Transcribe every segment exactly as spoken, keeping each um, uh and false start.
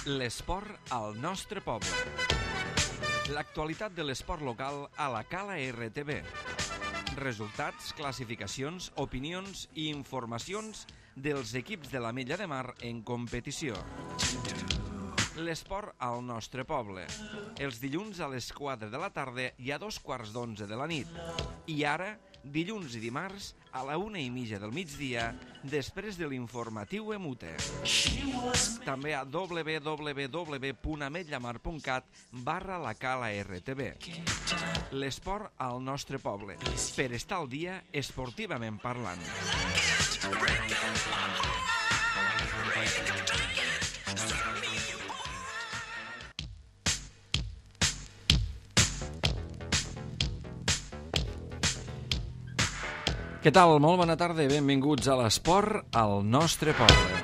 L'esport al nostre poble. L'actualitat de l'esport local a la Cala R T V. Resultats, classificacions, opinions i informacions dels equips de l'Ametlla de Mar en competició. L'esport al nostre poble. Els dilluns a les quatre de la tarda i a dos quarts d'onze de la nit. I ara, dilluns i dimarts, a la una i mitja del migdia, després de l'informatiu Emute. També a w w w punt ametlamar punt cat barra la Cala R T V. L'esport al nostre poble. Per estar al dia, esportivament parlant. Què tal? Molt bona tarda i benvinguts a l'esport al nostre poble.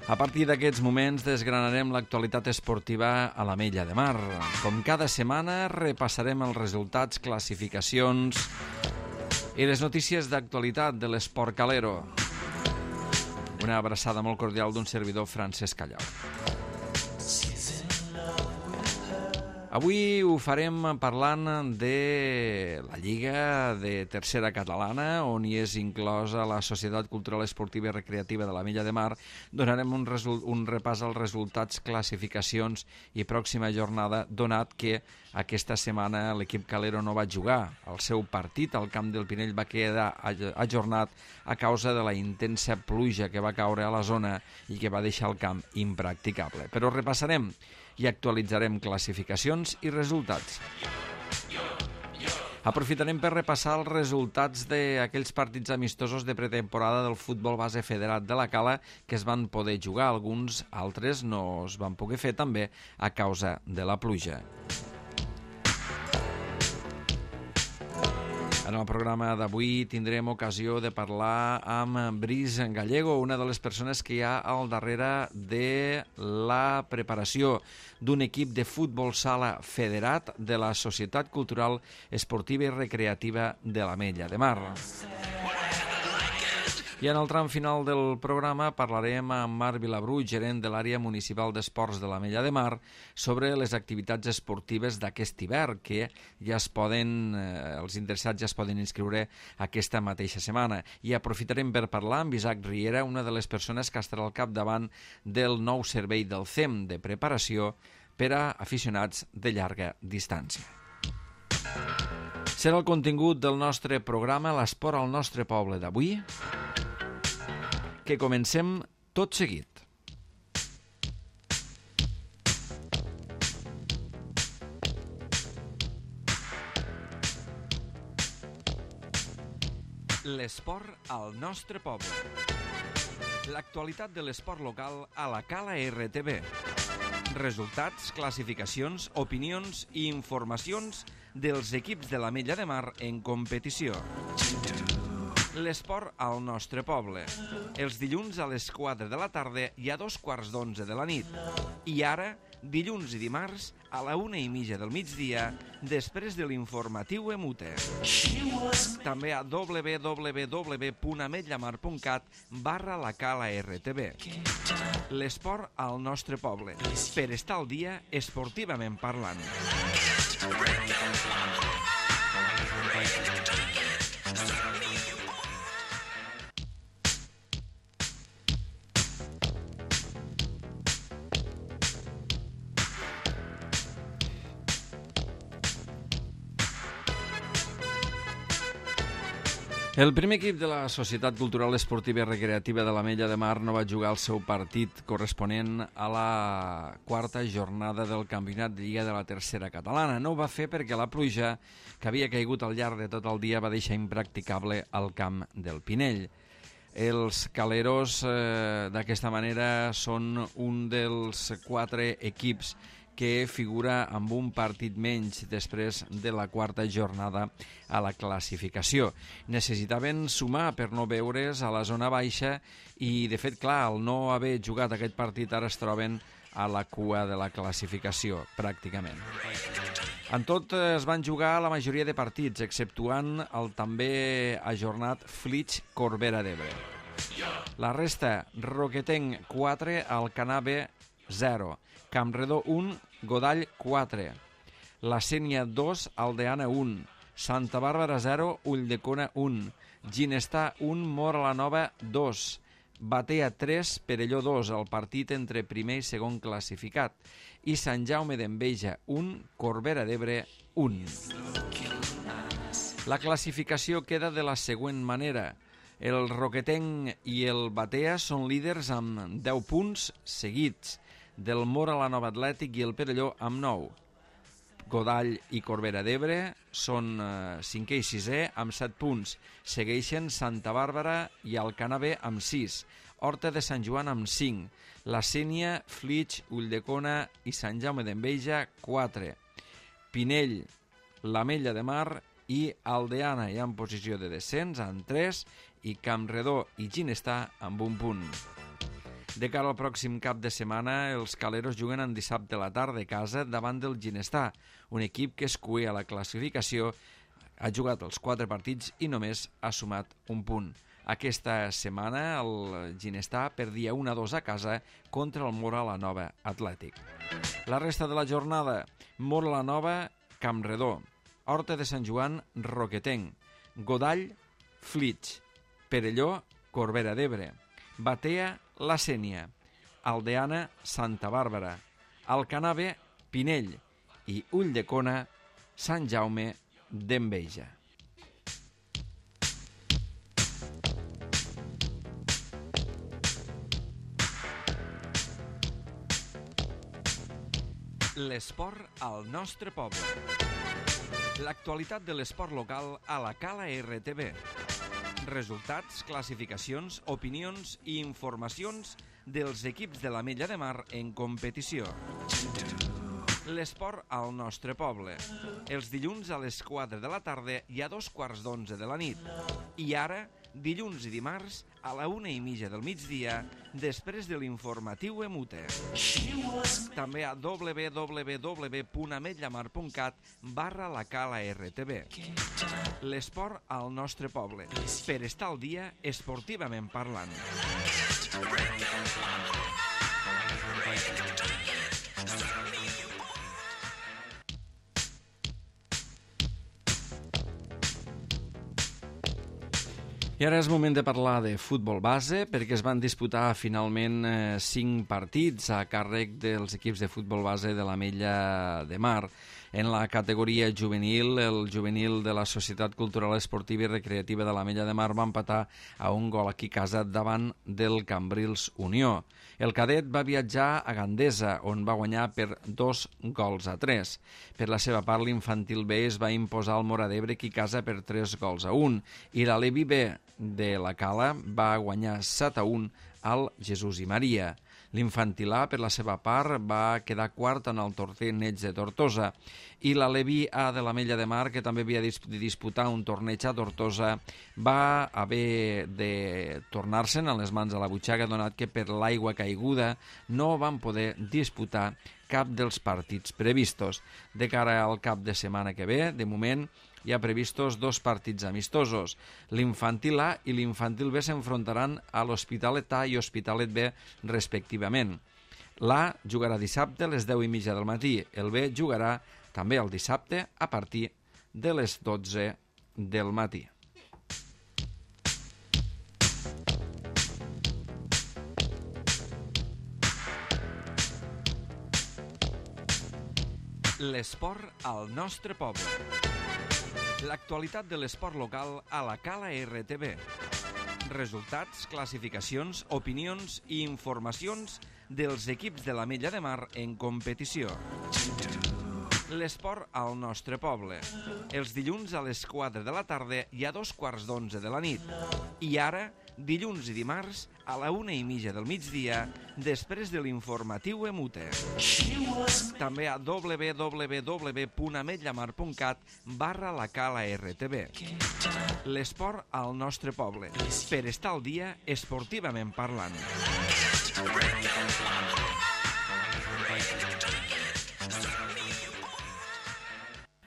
A partir d'aquests moments desgranarem l'actualitat esportiva a l'Ametlla de Mar. Com cada setmana repassarem els resultats, classificacions i les notícies d'actualitat de l'esport calero. Una abraçada molt cordial d'un servidor, Francesc Callau. Avui ho farem parlant de la Lliga de Tercera Catalana, on hi és inclosa la Societat Cultural Esportiva i Recreativa de l'Ametlla de Mar. Donarem un, un repàs als resultats, classificacions i pròxima jornada, donat que aquesta setmana l'equip calero no va jugar. El seu partit al camp del Pinell va quedar ajornat a causa de la intensa pluja que va caure a la zona i que va deixar el camp impracticable. Però repassarem i actualitzarem classificacions i resultats. Aprofitarem per repassar els resultats d'aquells partits amistosos de pretemporada del futbol base federat de la Cala que es van poder jugar. Alguns altres no es van poder fer també a causa de la pluja. En el programa d'avui tindrem ocasió de parlar amb Brice Gallego, una de les persones que hi ha al darrere de la preparació d'un equip de futbol sala federat de la Societat Cultural Esportiva i Recreativa de l'Ametlla de Mar. I en el tram final del programa parlarem amb Marc Vilabrú, gerent de l'àrea municipal d'esports de l'Ametlla de Mar, sobre les activitats esportives d'aquest hivern, que ja es poden, eh, els interessats ja es poden inscriure aquesta mateixa setmana. I aprofitarem per parlar amb Isaac Riera, una de les persones que estarà al capdavant del nou servei del C E M de preparació per a aficionats de llarga distància. Serà el contingut del nostre programa L'esport al nostre poble d'avui, que comencem tot seguit. L'esport al nostre poble. L'actualitat de l'esport local a la Cala R T V. Resultats, classificacions, opinions i informacions dels equips de l'Ametlla de Mar en competició. L'esport al nostre poble. Els dilluns a les quatre de la tarda i a dos quarts d'onze de la nit. I ara, dilluns i dimarts, a la una i mitja del migdia, després de l'informatiu Emute. També a w w w punt ametlamar punt cat barra la Cala R T V. L'esport al nostre poble. Per estar al dia, esportivament parlant. El primer equip de la Societat Cultural Esportiva i Recreativa de l'Ametlla de Mar no va jugar el seu partit corresponent a la quarta jornada del Campionat de Lliga de la Tercera Catalana. No ho va fer perquè la pluja que havia caigut al llarg de tot el dia va deixar impracticable el camp del Pinell. Els caleros eh, d'aquesta manera són un dels quatre equips que figura amb un partit menys després de la quarta jornada a la classificació. Necessitaven sumar per no veure's a la zona baixa i, de fet, clar, al no haver jugat aquest partit ara es troben a la cua de la classificació, pràcticament. En tot es van jugar la majoria de partits, exceptuant el també ajornat Flix Corbera d'Ebre. La resta, Roquetenc quatre, Alcanar B zero, Campredó un, Godall quatre, La Sénia dos, Aldeana un, Santa Bàrbara zero, Ulldecona un, Ginestar un, Móra la Nova dos, Batea tres, Perelló dos, el partit entre primer i segon classificat, i Sant Jaume d'Enveja un, Corbera d'Ebre un. La classificació queda de la següent manera. El Roquetenc i el Batea són líders amb deu punts seguits, del Móra la Nova Atlètic i el Perelló amb nou. Godall i Corbera d'Ebre són eh, cinquè i sisè amb set punts. Segueixen Santa Bàrbara i Alcanar B amb sis. Horta de Sant Joan amb cinc. La Sénia, Flix, Ulldecona i Sant Jaume d'Enveja quatre. Pinell, l'Ametlla de Mar i Aldeana ja en posició de descens amb tres i Campredó i Ginestar amb un punt. De cara al pròxim cap de setmana, els caleros juguen en dissabte a la tarda a casa davant del Ginestar, un equip que es cué a la classificació, ha jugat els quatre partits i només ha sumat un punt. Aquesta setmana el Ginestar perdia un a dos a casa contra el Móra la Nova Atlètic. La resta de la jornada, Móra la Nova, Campredó, Horta de Sant Joan, Roquetenc, Godall, Flix, Perelló, Corbera d'Ebre, Batea, La Sénia, Aldeana, Santa Bàrbara, Alcanar B, Pinell i Ulldecona, Sant Jaume d'Enveja. L'esport al nostre poble. L'actualitat de l'esport local a la Cala R T V. Resultats, classificacions, opinions i informacions dels equips de l'Ametlla de Mar en competició. L'esport al nostre poble. Els dilluns a les quatre de la tarda i a dos quarts d'onze de la nit. I ara, dilluns i dimarts, a la una i mitja del migdia, després de l'informatiu Emute. També a w w w punt ametllamar punt cat barra la Cala R T V. L'esport al nostre poble, per estar al dia esportivament parlant. I ara és moment de parlar de futbol base, perquè es van disputar finalment eh, cinc partits a càrrec dels equips de futbol base de l'Ametlla de Mar. En la categoria juvenil, el juvenil de la Societat Cultural Esportiva i Recreativa de l'Ametlla de Mar va empatar a un gol aquí a casa davant del Cambrils Unió. El cadet va viatjar a Gandesa, on va guanyar per dos gols a tres. Per la seva part, l'infantil B es va imposar al Móra d'Ebre aquí a casa per tres gols a un, i la Levi B de la Cala va guanyar set a un al Jesús i Maria. L'infantil A, per la seva part, va quedar quart en el torneig de Tortosa, i la Levi A de l'Ametlla de Mar, que també havia de disputar un torneig a Tortosa, va haver de tornar-se'n a les mans a la butxaca, donat que per l'aigua caiguda no van poder disputar cap dels partits previstos. De cara al cap de setmana que ve, de moment, hi ha previstos dos partits amistosos. L'infantil A i l'infantil B s'enfrontaran a l'Hospitalet A i Hospitalet B respectivament. L'A jugarà dissabte a les deu i mitja del matí. El B jugarà també el dissabte a partir de les dotze del matí. L'esport al nostre poble. L'actualitat de l'esport local a la Cala R T V. Resultats, classificacions, opinions i informacions dels equips de l'Ametlla de Mar en competició. L'esport al nostre poble. Els dilluns a les quatre de la tarda i a dos quarts d'onze de la nit. I ara, dilluns i dimarts, a la una i mitja del migdia, després de l'informatiu Emute. També a w w w punt ametllamar punt cat barra la Cala R T V. L'esport al nostre poble, per estar al dia esportivament parlant.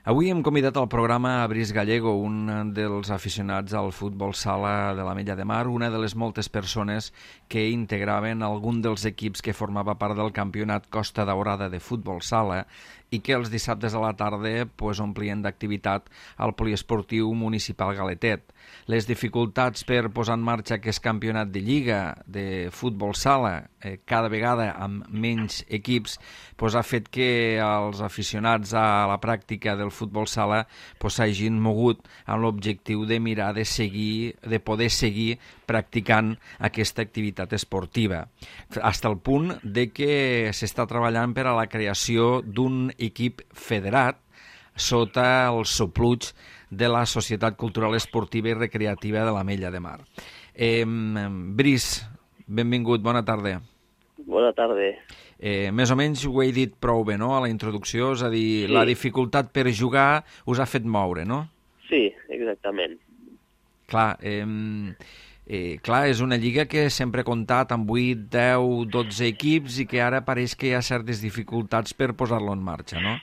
Avui hem convidat al programa a Brice Gallego, un dels aficionats al futbol sala de l'Ametlla de Mar, una de les moltes persones que integraven algun dels equips que formava part del campionat Costa Daurada de futbol sala i que els dissabtes a la tarda pues, omplien d'activitat al poliesportiu municipal Galetet. Les dificultats per posar en marxa aquest campionat de lliga de futbol sala, eh, cada vegada amb menys equips, pues, ha fet que els aficionats a la pràctica del futbol sala pues, s'hagin mogut amb l'objectiu de mirar de seguir, de poder seguir practicant aquesta activitat esportiva, fins al punt de que s'està treballant per a la creació d'un equip federat sota el sopluig de la Societat Cultural Esportiva i Recreativa de l'Ametlla de Mar. Eh, Brice, benvingut, bona tarda. Bona tarda. Eh, més o menys ho he dit prou bé, no?, a la introducció, és a dir, sí. La dificultat per jugar us ha fet moure, no? Sí, exactament. Clar, eh, eh, clar, és una lliga que sempre ha comptat amb vuit, deu, dotze equips i que ara pareix que hi ha certes dificultats per posar-lo en marxa, no?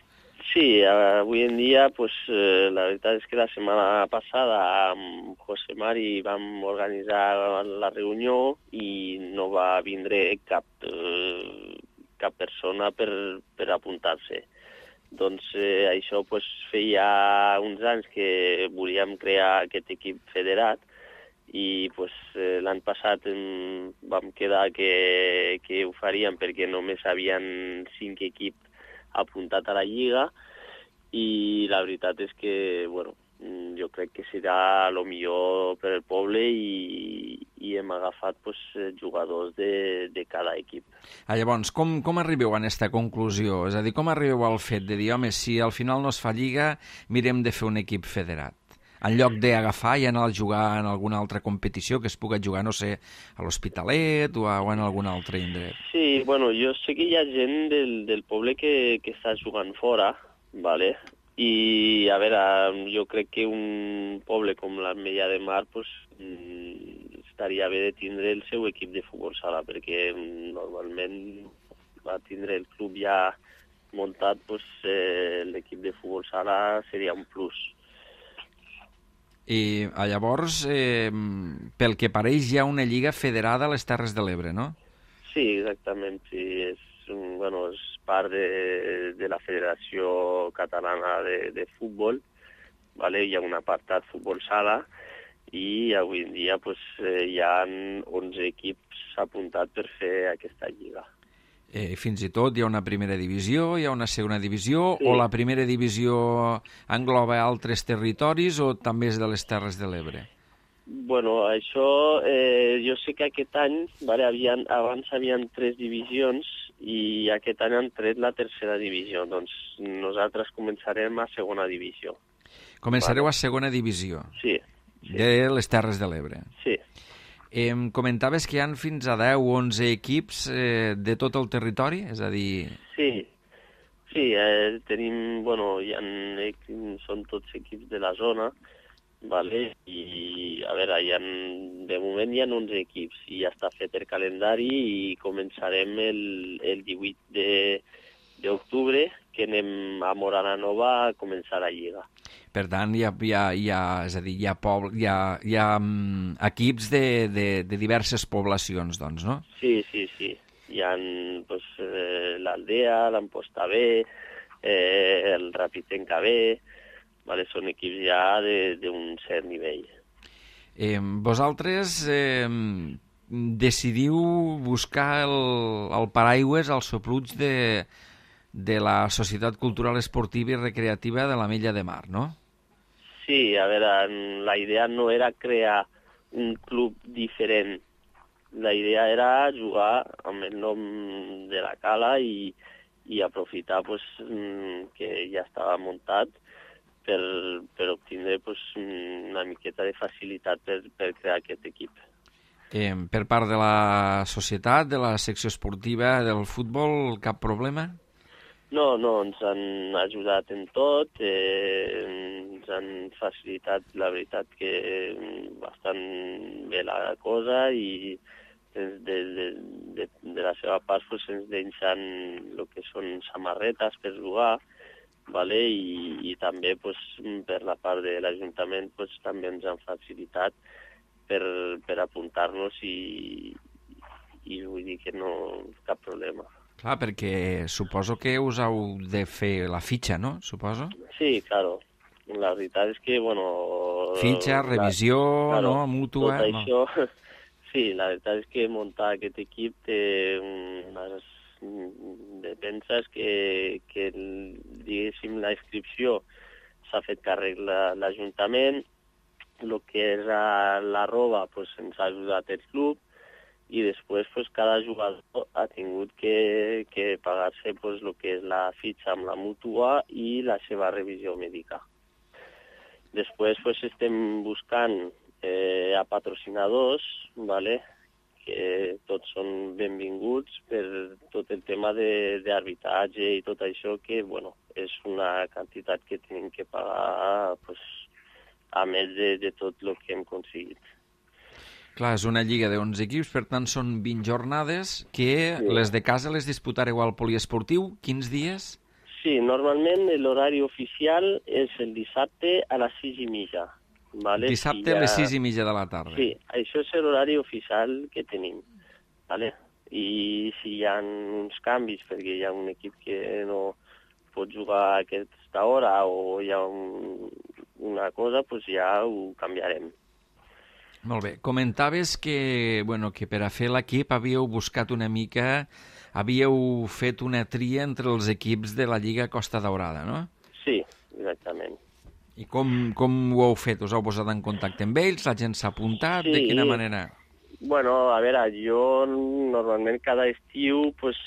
Sí, avui en dia, pues, eh, la veritat és que la setmana passada amb José Mari vam organitzar la reunió i no va vindre cap, eh, cap persona per, per apuntar-se. Doncs eh, això pues, feia uns anys que volíem crear aquest equip federat i pues, eh, l'any passat em, vam quedar que, que ho faríem perquè només havien cinc equips apuntat a la lliga i la veritat és que bueno, jo crec que serà el millor per al poble i, i hem agafat pues, jugadors de, de cada equip. Ah, llavors, com, com arribeu a aquesta conclusió? És a dir, com arribeu al fet de dir, home, si al final no es fa lliga, mirem de fer un equip federat? En lloc d'agafar i anar a jugar en alguna altra competició que es pugui jugar, no sé, a l'Hospitalet o, a, o en algun altre indret. Sí, bueno, jo sé que hi ha gent del, del poble que, que està jugant fora, vale? I, a veure, jo crec que un poble com l'Ametlla de Mar pues, estaria bé de tindre el seu equip de futbol sala, perquè normalment va tindre el club ja muntat, pues, eh, l'equip de futbol sala seria un plus. I llavors, eh, pel que pareix, hi ha una lliga federada a les Terres de l'Ebre, no? Sí, exactament. Sí. És, bueno, és part de, de la Federació Catalana de, de Futbol. Vale? Hi ha un apartat futbol sala i avui en dia pues, hi ha onze equips apuntats per fer aquesta lliga. Eh, fins i tot hi ha una primera divisió, hi ha una segona divisió, sí. O la primera divisió engloba altres territoris o també és de les Terres de l'Ebre? Bueno, això, eh, jo sé que aquest any, vale, havien, abans hi havia tres divisions i aquest any han tret la tercera divisió, doncs nosaltres començarem a segona divisió. Començareu vale. a segona divisió? Sí. sí. De les Terres de l'Ebre? Sí. Em comentaves que hi ha fins a deu o onze equips eh, de tot el territori? És a dir... Sí, sí eh, tenim, bueno, hi ha, són tots equips de la zona, vale? I a veure, hi ha, de moment hi ha onze equips i ja està fet el calendari i començarem el, el divuit d'octubre, que anem a Morana Nova a començar la lliga. Per tant, hi ha, hi ha, hi ha, és a dir, hi ha, poble, hi ha, hi ha um, equips de, de, de diverses poblacions, doncs, no? Sí, sí, sí. Hi ha pues, eh, l'Aldea, l'Amposta B, eh, el Rapitenca B, vale? Són equips ja d'un cert nivell. Eh, vosaltres eh, decidiu buscar el, el paraigües, el sopluig de, de la Societat Cultural Esportiva i Recreativa de l'Ametlla de Mar, no? Sí, a veure, la idea no era crear un club diferent. La idea era jugar amb el nom de la cala i, i aprofitar pues, que ja estava muntat per, per obtindre pues, una miqueta de facilitat per, per crear aquest equip. Eh, per part de la societat, de la secció esportiva, del futbol, cap problema? No, no, ens han ajudat en tot, eh, ens han facilitat, la veritat, que bastant bé la cosa i de, de, de, de la seva part pues, ens deixen el que són samarretes per jugar, vale? I, i també pues, per la part de l'Ajuntament pues, també ens han facilitat per, per apuntar-nos i, i vull dir que no cap problema. Clar, perquè suposo que us heu de fer la fitxa, no? Suposo? Sí, claro. La veritat és que, bueno... Fitxa, revisió, la, claro, no? Mútua... Tot això... No. Sí, la veritat és que muntar aquest equip té unes defenses que, que diguéssim, la inscripció s'ha fet càrrec l'Ajuntament, el que és la roba pues, ens ha ajudat el club, i després pues, cada jugador ha tingut que, que pagar-se pues, el que és la fitxa amb la mútua i la seva revisió mèdica. Després pues, estem buscant eh, a patrocinadors, ¿vale? Que tots són benvinguts per tot el tema d'arbitratge i tot això, que bueno, és una quantitat que tenim que pagar pues, a més de, de tot el que hem aconseguit. Clar, és una lliga d'onze equips, per tant són vint jornades, que sí. Les de casa les disputareu al poliesportiu. Quins dies? Sí, normalment l'horari oficial és el dissabte a les sis i mitja. Vale? Dissabte si ha... a les sis i mitja de la tarda. Sí, això és l'horari oficial que tenim. Vale? I si hi ha uns canvis, perquè hi ha un equip que no pot jugar a aquesta hora o hi ha un, una cosa, doncs ja ho canviarem. Molt bé. Comentaves que, bueno, que per a fer l'equip havíeu buscat una mica, havíeu fet una tria entre els equips de la Lliga Costa Daurada, no? Sí, exactament. I com, com ho heu fet? Us heu posat en contacte amb ells? La gent s'ha apuntat? Sí. De quina manera? Bueno, a veure, jo normalment cada estiu pues,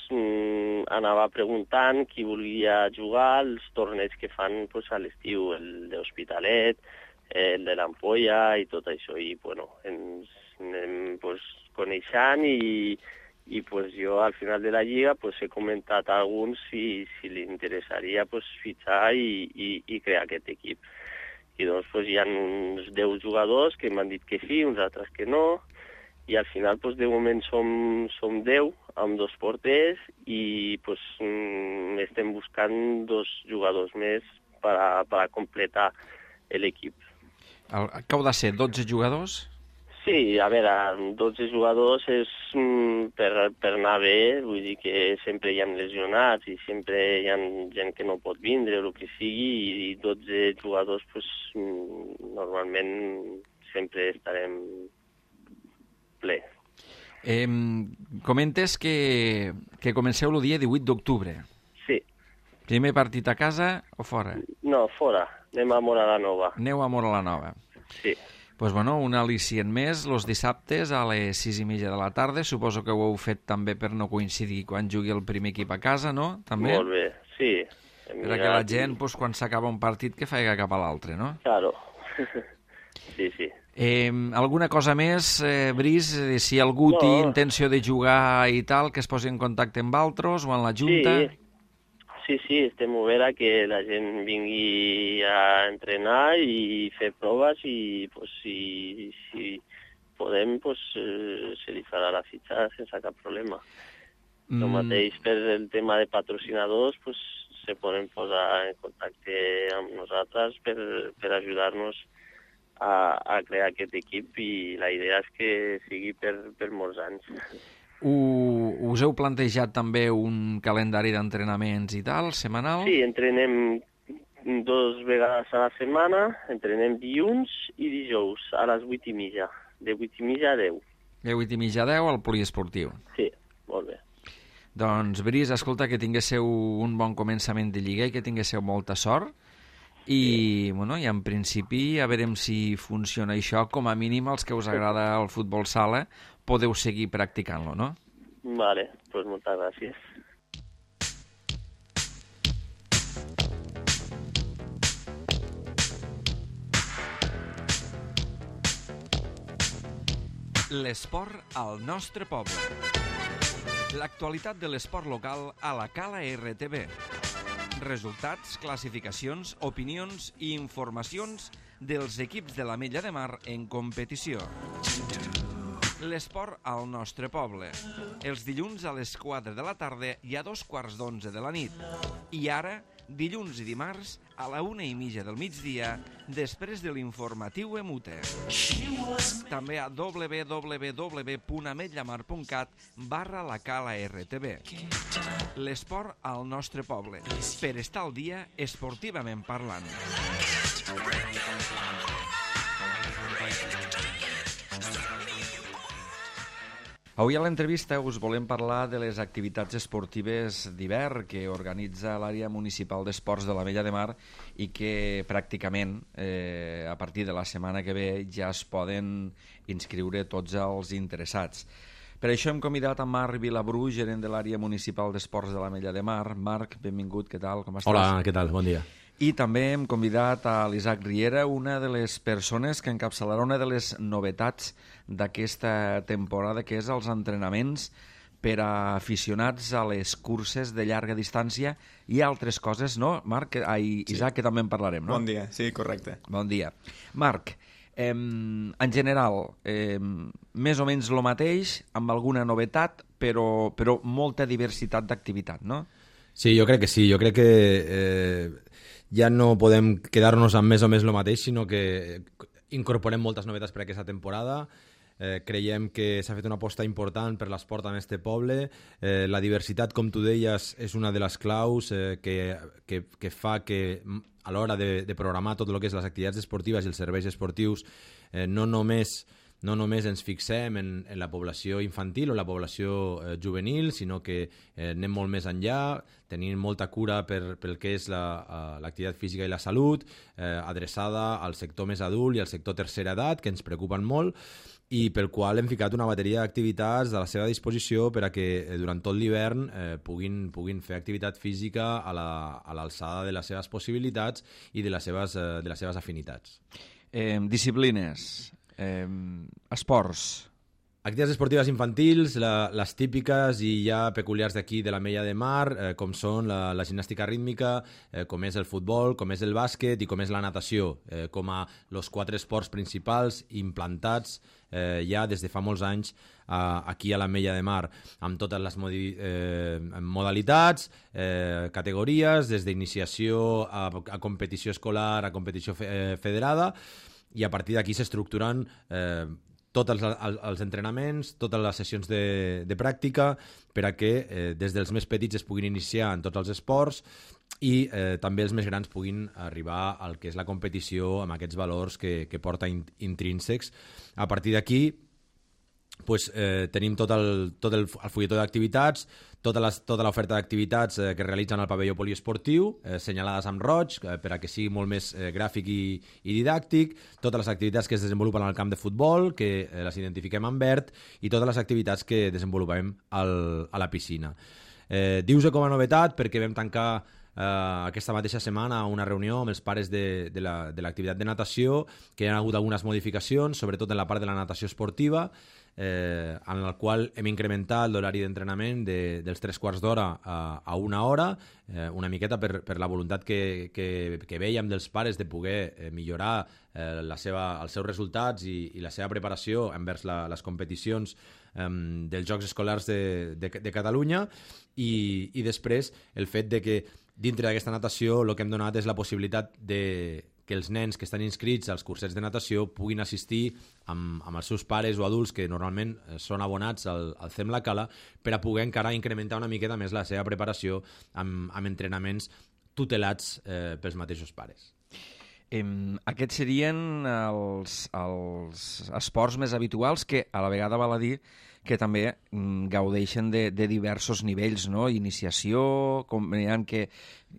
anava preguntant qui volia jugar als torneigs que fan pues, a l'estiu, el d'Hospitalet, el de l'Ampolla i tot això. I bueno, ens anem pues, coneixent i, i pues, jo al final de la lliga pues, he comentat a alguns si, si li interessaria pues, fitxar i, i, i crear aquest equip. I doncs pues, hi ha uns deu jugadors que m'han dit que sí, uns altres que no, i al final pues, de moment som, som deu amb dos porters i pues, estem buscant dos jugadors més per a, per a completar l'equip. Que heu de ser dotze jugadors? Sí, a veure, dotze jugadors és mm, per, per anar bé, vull dir que sempre hi ha lesionats i sempre hi ha gent que no pot vindre, el que sigui, i dotze jugadors pues, mm, normalment sempre estarem ple. Eh, comentes que, que comenceu el dia divuit d'octubre. Sí. Primer partit a casa o fora? No, fora. Anem a Móra la Nova. Aneu a Móra la Nova. Sí. Pues bueno, un al·licient més, els dissabtes a les sis i mitja de la tarda. Suposo que ho heu fet també per no coincidir quan jugui el primer equip a casa, no? També? Molt bé, sí. Per que la gent, pues, quan s'acaba un partit, que faci cap a l'altre, no? Claro. Sí, sí. Eh, alguna cosa més, eh, Brice? Si algú no. té intenció de jugar i tal, que es posi en contacte amb altres o amb la Junta? Sí. Sí, sí, estem oberts a que la gent vingui a entrenar i fer proves i pues, si, si podem pues, eh, se li farà la fitxa sense cap problema. Mm. El mateix per el tema de patrocinadors pues, se poden posar en contacte amb nosaltres per, per ajudar-nos a, a crear aquest equip i la idea és que sigui per, per molts anys. U, us heu plantejat també un calendari d'entrenaments i tal, setmanal? Sí, entrenem dos vegades a la setmana, entrenem dilluns i dijous a les vuit i mitja, de vuit i mitja a deu. De vuit i mitja a deu al poliesportiu. Sí, molt bé. Doncs, Brice, escolta, que tinguéssiu un bon començament de lliga i que tinguéssiu molta sort. I, sí. bueno, i en principi, a veurem si funciona això. Com a mínim, els que us agrada el futbol sala, podeu seguir practicant-lo, no? Vale, pues moltes gràcies. L'esport al nostre poble. L'actualitat de l'esport local a la Cala R T V. Resultats, classificacions, opinions i informacions dels equips de l'Ametlla de Mar en competició. L'esport al nostre poble. Els dilluns a les quatre de la tarda i a dos quarts d'onze de la nit. I ara, dilluns i dimarts a la una i mitja del migdia, després de l'informatiu Emute. També a w w w punt ametlla mar punt cat barra la cala R T V. L'esport al nostre poble, per estar al dia esportivament parlant. Avui a l'entrevista us volem parlar de les activitats esportives d'hivern que organitza l'àrea municipal d'esports de l'Ametlla de Mar i que pràcticament eh, a partir de la setmana que ve ja es poden inscriure tots els interessats. Per això hem convidat a Marc Vilabrú, gerent de l'àrea municipal d'esports de l'Ametlla de Mar. Marc, benvingut, què tal? Com estàs? Hola, què tal? Bon dia. I també hem convidat a l'Isaac Riera, una de les persones que encapçalarà una de les novetats d'aquesta temporada, que és els entrenaments per a aficionats a les curses de llarga distància i altres coses, no? Marc, ai, Isaac, sí. Que també en parlarem, no? Bon dia, sí, correcte. Bon dia. Marc, eh, en general, eh, més o menys el mateix, amb alguna novetat, però, però molta diversitat d'activitat, no? Sí, jo crec que sí. Jo crec que eh, ja no podem quedar-nos amb més o més el mateix, sinó que incorporem moltes novetats per a aquesta temporada. Eh, creiem que s'ha fet una aposta important per l'esport en este poble. Eh, la diversitat, com tu deies, és una de les claus eh, que, que, que fa que a l'hora de, de programar tot el que és les activitats esportives i els serveis esportius eh, no només no només ens fixem en, en la població infantil o la població eh, juvenil, sinó que eh, anem molt més enllà, tenim molta cura per, pel que és l'activitat la, física i la salut, eh, adreçada al sector més adult i al sector tercera edat, que ens preocupen molt, i pel qual hem ficat una bateria d'activitats a la seva disposició per a que eh, durant tot l'hivern eh, puguin, puguin fer activitat física a l'alçada la, de les seves possibilitats i de les seves, eh, de les seves afinitats. Eh, disciplines, eh, esports... Activitats esportives infantils, la, les típiques i ja peculiars d'aquí de l'Ametlla de Mar, eh, com són la, la gimnàstica rítmica, eh, com és el futbol, com és el bàsquet i com és la natació, eh, com a els quatre esports principals implantats eh, ja des de fa molts anys eh, aquí a l'Ametlla de Mar, amb totes les modi, eh, modalitats, eh, categories, des d'iniciació a, a competició escolar, a competició fe, eh, federada, i a partir d'aquí s'estructuren eh, tots els, els entrenaments, totes les sessions de, de pràctica per a que eh, des dels més petits es puguin iniciar en tots els esports i eh, també els més grans puguin arribar al que és la competició amb aquests valors que, que porta in, intrínsecs. A partir d'aquí pues, eh, tenim tot el, tot el, el fulletó d'activitats, tota, les, tota l'oferta d'activitats eh, que realitzen al pavelló poliesportiu, eh, senyalades amb roig, eh, per a que sigui molt més eh, gràfic i, i didàctic, totes les activitats que es desenvolupen al camp de futbol, que eh, les identifiquem en verd, i totes les activitats que desenvolupem al, a la piscina. Eh, Dius-ho com a novetat perquè vam tancar Uh, aquesta mateixa setmana una reunió amb els pares de, de l'activitat de, de natació, que hi ha hagut algunes modificacions, sobretot en la part de la natació esportiva, eh, en la qual hem incrementat l'horari d'entrenament de, dels tres quarts d'hora a, a una hora, eh, una miqueta per, per la voluntat que, que, que veiem dels pares de poder eh, millorar eh, la seva, els seus resultats i, i la seva preparació envers la, les competicions eh, dels Jocs Escolars de, de, de Catalunya, i, i després el fet de que dintre d'aquesta natació el que hem donat és la possibilitat de que els nens que estan inscrits als cursets de natació puguin assistir amb, amb els seus pares o adults que normalment són abonats al, al C E M La Cala per a poder encara incrementar una miqueta més la seva preparació amb, amb entrenaments tutelats eh, pels mateixos pares. Eh, aquests serien els, els esports més habituals que a la vegada val a dir que també mm, gaudeixen de, de diversos nivells, no? Iniciació, com, n'hi ha que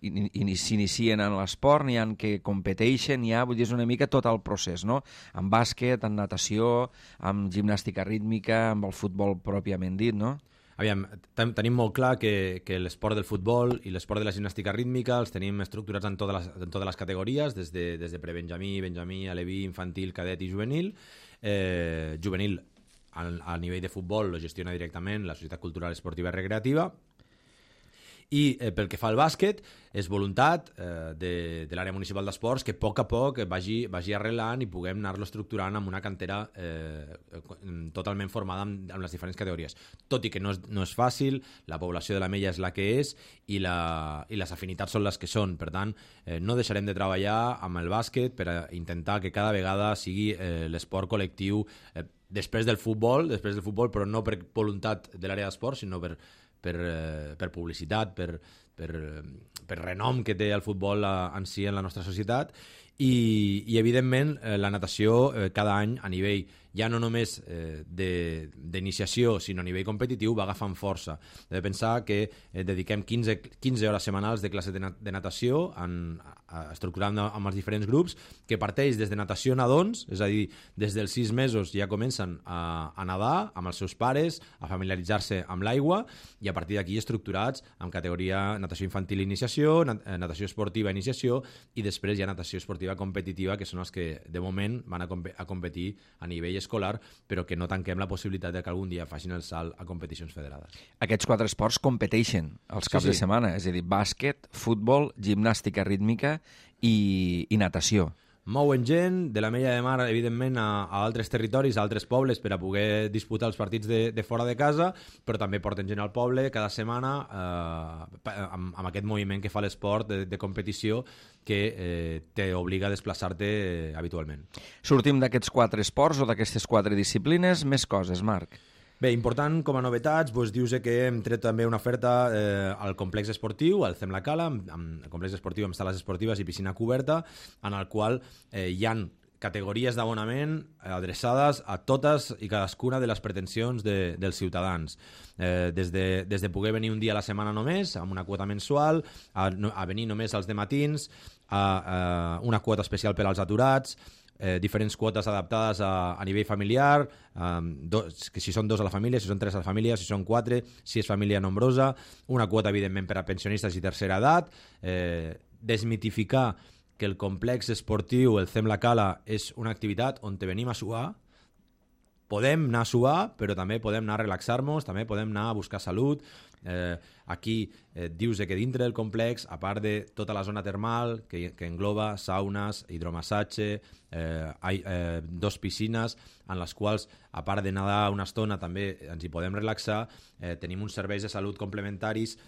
in, in, s'inicien en l'esport, n'hi ha que competeixen, n'hi ha, vull dir, és una mica tot el procés, no? Amb bàsquet, amb natació, amb gimnàstica rítmica, amb el futbol pròpiament dit, no? Aviam, tenim molt clar que, que l'esport del futbol i l'esport de la gimnàstica rítmica els tenim estructurats en totes les, en totes les categories, des de, des de prebenjamí, benjamí, aleví, infantil, cadet i juvenil. Eh, juvenil, a, a nivell de futbol, lo gestiona directament la Societat Cultural Esportiva i Recreativa. I eh, pel que fa al bàsquet, és voluntat eh, de, de l'àrea municipal d'esports que a poc a poc vagi, vagi arrelant i puguem anar-lo estructurant amb una cantera eh, totalment formada amb, amb les diferents categories. Tot i que no és, no és fàcil, la població de l'Ametlla és la que és i, la, i les afinitats són les que són. Per tant, eh, no deixarem de treballar amb el bàsquet per a intentar que cada vegada sigui eh, l'esport col·lectiu eh, després del futbol, després del futbol, però no per voluntat de l'àrea d'esports, sinó per Per, per publicitat, per, per, per renom que té el futbol en si en la nostra societat i, i evidentment la natació cada any a nivell ja no només eh, d'iniciació sinó a nivell competitiu va agafant força. He de pensar que eh, dediquem quinze, quinze hores setmanals de classe de, nat de natació en, a, estructurant amb els diferents grups que parteix des de natació nadons, és a dir, des dels sis mesos ja comencen a, a nedar amb els seus pares, a familiaritzar-se amb l'aigua i a partir d'aquí estructurats amb categoria natació infantil iniciació, nat natació esportiva iniciació i després hi ha natació esportiva competitiva que són els que de moment van a, comp a competir a nivell escolar, però que no tanquem la possibilitat de que algun dia facin el salt a competicions federades. Aquests quatre esports competeixen els caps sí, sí. de setmana, és a dir, bàsquet, futbol, gimnàstica rítmica i, i natació. Mouen gent de l'Ametlla de Mar, evidentment, a, a altres territoris, a altres pobles, per a poder disputar els partits de, de fora de casa, però també porten gent al poble cada setmana eh, amb, amb aquest moviment que fa l'esport de, de competició que eh, t'obliga a desplaçar-te eh, habitualment. Sortim d'aquests quatre esports o d'aquestes quatre disciplines, més coses, Marc. Bé, important com a novetats, doncs, dius que hem tret també una oferta eh, al complex esportiu, al Cem la Cala, amb, amb el complex esportiu amb sales esportives i piscina coberta, en el qual eh, hi han categories d'abonament adreçades a totes i cadascuna de les pretensions de, dels ciutadans. Eh, des, de, des de poder venir un dia a la setmana només, amb una quota mensual, a, a venir només als dematins, a, a una quota especial per als aturats, Eh, diferents quotes adaptades a, a nivell familiar, eh, dos, que si són dos a la família, si són tres a la família, si són quatre, si és família nombrosa, una quota, evidentment, per a pensionistes i tercera edat, eh, desmitificar que el complex esportiu, el Cem la Cala, és una activitat on te venim a suar. Podem anar a suar, però també podem anar a relaxar-nos, també podem anar a buscar salut. Eh, aquí eh, dius que dintre del complex, a part de tota la zona termal, que, que engloba saunes, hidromassatge, eh, eh, dos piscines, en les quals, a part de nedar una estona, també ens hi podem relaxar, eh, tenim uns serveis de salut complementaris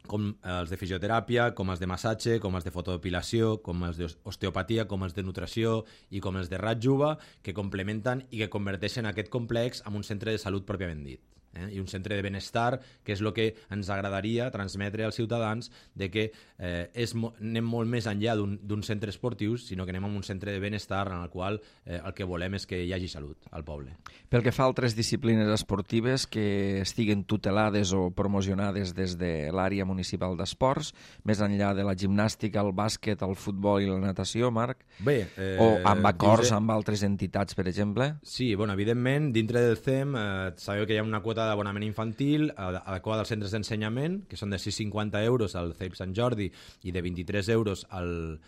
com els de fisioteràpia, com els de massatge, com els de fotodepilació, com els d'osteopatia, com els de nutrició i com els de ratjuva, que complementen i que converteixen aquest complex en un centre de salut pròpiament dit. Eh? I un centre de benestar, que és el que ens agradaria transmetre als ciutadans de que eh, és, anem molt més enllà d'un centre esportiu, sinó que anem a un centre de benestar en el qual eh, el que volem és que hi hagi salut al poble. Pel que fa a altres disciplines esportives que estiguen tutelades o promocionades des de l'àrea municipal d'esports, més enllà de la gimnàstica, el bàsquet, el futbol i la natació, Marc? Bé, eh, o amb acords dius... amb altres entitats, per exemple? Sí, bueno, evidentment, dintre del C E M eh, sabeu que hi ha una quota d'abonament infantil adequada als centres d'ensenyament, que són de sis coma cinquanta euros al C E I P Sant Jordi i de vint-i-tres euros al,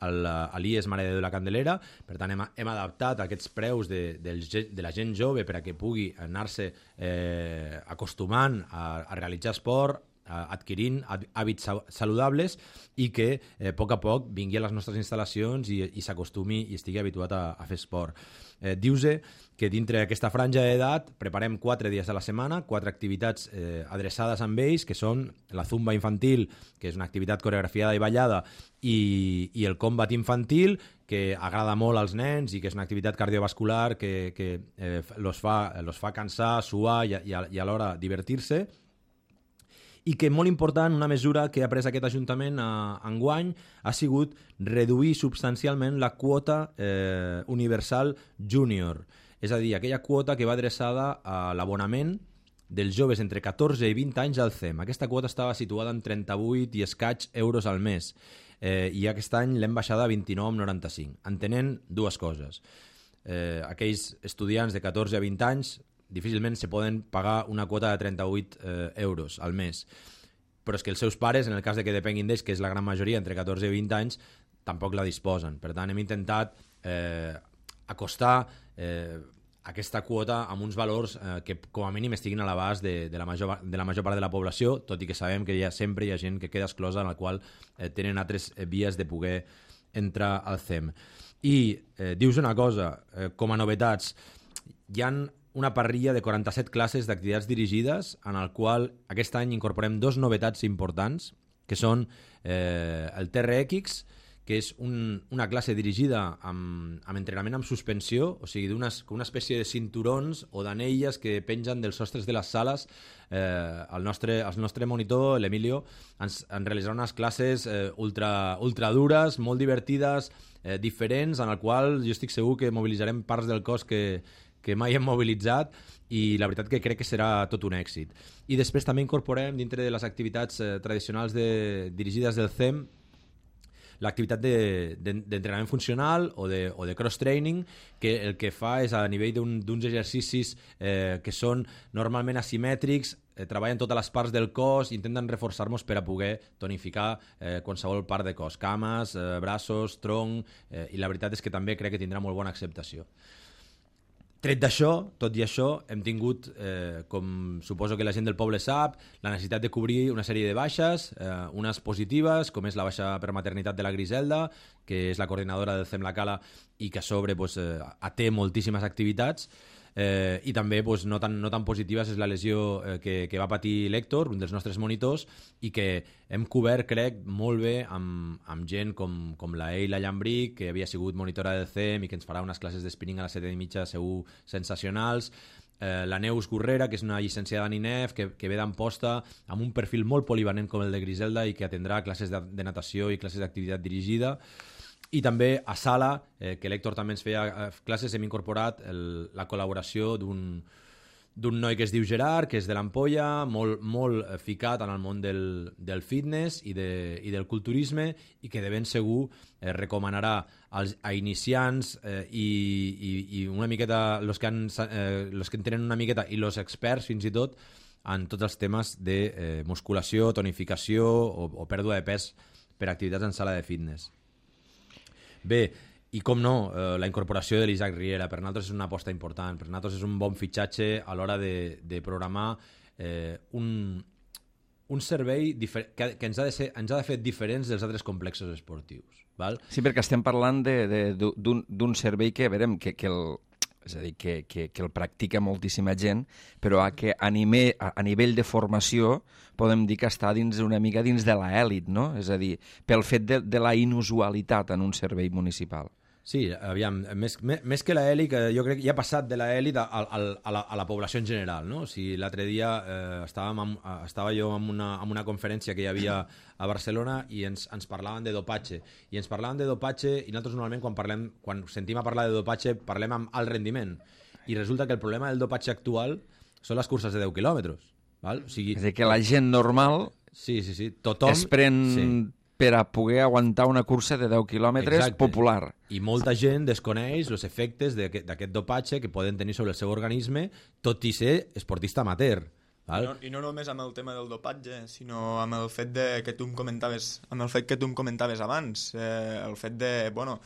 al, a l'I E S Mare de Déu de la Candelera. Per tant, hem, hem adaptat aquests preus de, de, de la gent jove per a que pugui anar-se eh, acostumant a, a realitzar esport, adquirint hàbits saludables i que eh, a poc a poc vingui a les nostres instal·lacions i, i s'acostumi i estigui habituat a, a fer esport. Eh, Dius-se que dintre d'aquesta franja d'edat preparem quatre dies a la setmana, quatre activitats eh, adreçades amb ells, que són la zumba infantil, que és una activitat coreografiada i ballada, i, i el combat infantil, que agrada molt als nens i que és una activitat cardiovascular que, que eh, los, fa, los fa cansar, suar i, i, i alhora divertir-se. I que, molt important, una mesura que ha pres aquest Ajuntament a, enguany ha sigut reduir substancialment la quota eh, universal júnior. És a dir, aquella quota que va adreçada a l'abonament dels joves entre catorze i vint anys al C E M. Aquesta quota estava situada en trenta-vuit i escaig euros al mes eh, i aquest any l'hem baixada a vint-i-nou coma noranta-cinc. Entenent dues coses. Eh, aquells estudiants de catorze a vint anys difícilment se poden pagar una quota de trenta-vuit eh, euros al mes. Però és que els seus pares, en el cas de que depenguin d'ells, que és la gran majoria, entre catorze i vint anys, tampoc la disposen. Per tant, hem intentat eh, acostar, eh, aquesta quota amb uns valors eh, que com a mínim estiguin a l'abast de, de, la major, de la major part de la població, tot i que sabem que hi ha, sempre hi ha gent que queda exclosa en la qual eh, tenen altres eh, vies de poder entrar al C E M. I eh, dius una cosa, eh, com a novetats, hi ha una parrilla de quaranta-set classes d'activitats dirigides en el qual aquest any incorporem dos novetats importants, que són eh, el T R X, que és un, una classe dirigida amb, amb entrenament amb suspensió, o sigui, d'una una espècie de cinturons o d'anelles que pengen dels sostres de les sales. Eh, el, nostre, el nostre monitor, l'Emilio, ens, ens realitzarà unes classes eh, ultra, ultra dures, molt divertides, eh, diferents, en el qual jo estic segur que mobilitzarem parts del cos que, que mai hem mobilitzat, i la veritat que crec que serà tot un èxit. I després també incorporem dintre de les activitats eh, tradicionals de, dirigides del C E M l'activitat d'entrenament de, funcional o de, o de cross-training, que el que fa és a nivell d'uns un, exercicis eh, que són normalment asimètrics, eh, treballen totes les parts del cos, intenten reforçar-nos per a poder tonificar eh, qualsevol part de cos, cames, eh, braços, tronc, eh, i la veritat és que també crec que tindrà molt bona acceptació. Tret d'això, tot i això, hem tingut, eh, com suposo que la gent del poble sap, la necessitat de cobrir una sèrie de baixes, eh, unes positives, com és la baixa per maternitat de la Griselda, que és la coordinadora del C E M La Cala i que a sobre pues, eh, té moltíssimes activitats, eh, i també pues, no, tan, no tan positives és la lesió eh, que, que va patir l'Héctor, un dels nostres monitors, i que hem cobert, crec, molt bé amb, amb gent com, com la Eila Llambric, que havia sigut monitora del C E M i que ens farà unes classes d'spinning a les set i mitja segur sensacionals, eh, la Neus Gurrera, que és una llicenciada en I N E F, que, que ve d'Amposta, amb un perfil molt polivalent com el de Griselda i que atendrà classes de, de natació i classes d'activitat dirigida. I també a Sala, eh, que l'Héctor també ens feia eh, classes, hem incorporat el, la col·laboració d'un d'un noi que es diu Gerard, que és de l'Ampolla, molt, molt ficat en el món del, del fitness i, de, i del culturisme, i que de ben segur eh, recomanarà als, a iniciants eh, i, i, i una miqueta los que, han, eh, los que en tenen una miqueta i los experts fins i tot en tots els temes de eh, musculació, tonificació o, o pèrdua de pes per activitats en sala de fitness. Bé, i com no, eh, la incorporació de l'Isaac Riera per nosaltres és una aposta important, per nosaltres és un bon fitxatge a l'hora de, de programar eh, un, un servei que, que ens, ha de ser, ens ha de fer diferents dels altres complexos esportius. Val? Sí, perquè estem parlant d'un servei que, verem, que, que el, és a dir, que, que, que el practica moltíssima gent, però a, que a, nivell, a, a nivell de formació podem dir que està dins una mica dins de l'elit, no? És a dir, pel fet de, de la inusualitat en un servei municipal. Sí, aviam, més, més, més que l'elit, jo crec que ja ha passat de l'elit a, a, a, la, a la població en general, no? O sigui, l'altre dia eh, estàvem amb, estava jo en una, en una conferència que hi havia a Barcelona i ens, ens parlaven de dopatge. I ens parlaven de dopatge i nosaltres normalment quan, parlem, quan sentim a parlar de dopatge parlem amb alt rendiment. I resulta que el problema del dopatge actual són les curses de deu quilòmetres. Val? O sigui, és a dir, que la gent normal sí, sí, sí. Tothom, es pren... Sí. per a poder aguantar una cursa de deu quilòmetres. Exacte. Popular. I molta gent desconeix els efectes d'aquest dopatge que poden tenir sobre el seu organisme, tot i ser esportista amateur. Val? I, no, I no només amb el tema del dopatge, sinó amb el fet de, que tu em comentaves, amb el fet que tu em comentaves abans, eh, el fet de, bueno,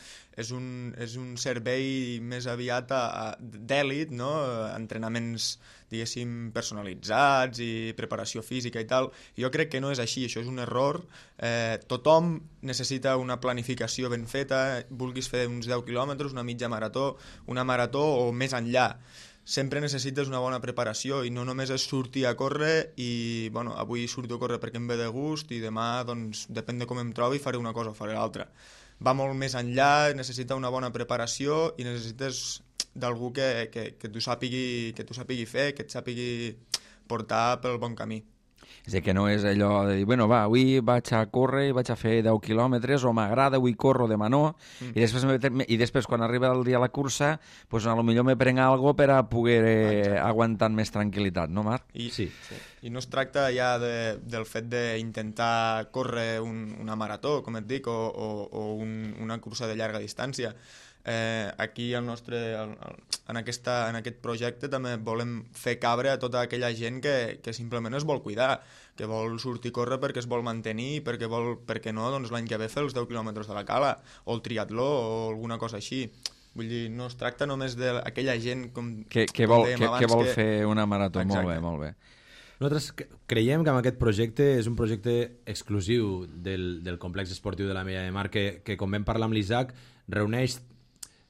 és un, és un servei més aviat d'èlit, no? Entrenaments, diguéssim, personalitzats i preparació física i tal. Jo crec que no és així, això és un error. Eh, tothom necessita una planificació ben feta, vulguis fer uns deu quilòmetres, una mitja marató, una marató o més enllà. Sempre necessites una bona preparació i no només és sortir a córrer i, bueno, avui surto a córrer perquè em ve de gust i demà, doncs, depèn de com em trobi, faré una cosa o faré l'altra. Va molt més enllà, necessita una bona preparació i necessites d'algú que, que, que t'ho sàpigui, que t'ho sàpigui fer, que et sàpigui portar pel bon camí. És a dir, que no és allò de dir, bueno, va, avui vaig a córrer i vaig a fer deu quilòmetres, o m'agrada, avui corro, demà no, mm. i, després, i després quan arriba el dia de la cursa, pues, a lo millor me prenc algo per a poder eh, aguantar més tranquil·litat, no, Marc? I, sí. sí. I no es tracta ja de, del fet d'intentar córrer un, una marató, com et dic, o, o, o un, una cursa de llarga distància. Eh, aquí el nostre, el, el, en, aquesta, en aquest projecte també volem fer cabre a tota aquella gent que, que simplement es vol cuidar, que vol sortir a córrer perquè es vol mantenir, perquè vol, perquè no, doncs l'any que ve fer els deu quilòmetres de la Cala, o el triatló, o alguna cosa així. Vull dir, no es tracta només d'aquella gent com, que, que com vol, dèiem que, abans. que vol que... fer una marató. Exacte. Molt bé, molt bé. Nosaltres creiem que amb aquest projecte és un projecte exclusiu del, del complex esportiu de la Mella de Mar que, que com vam parlar amb l'Isaac, reuneix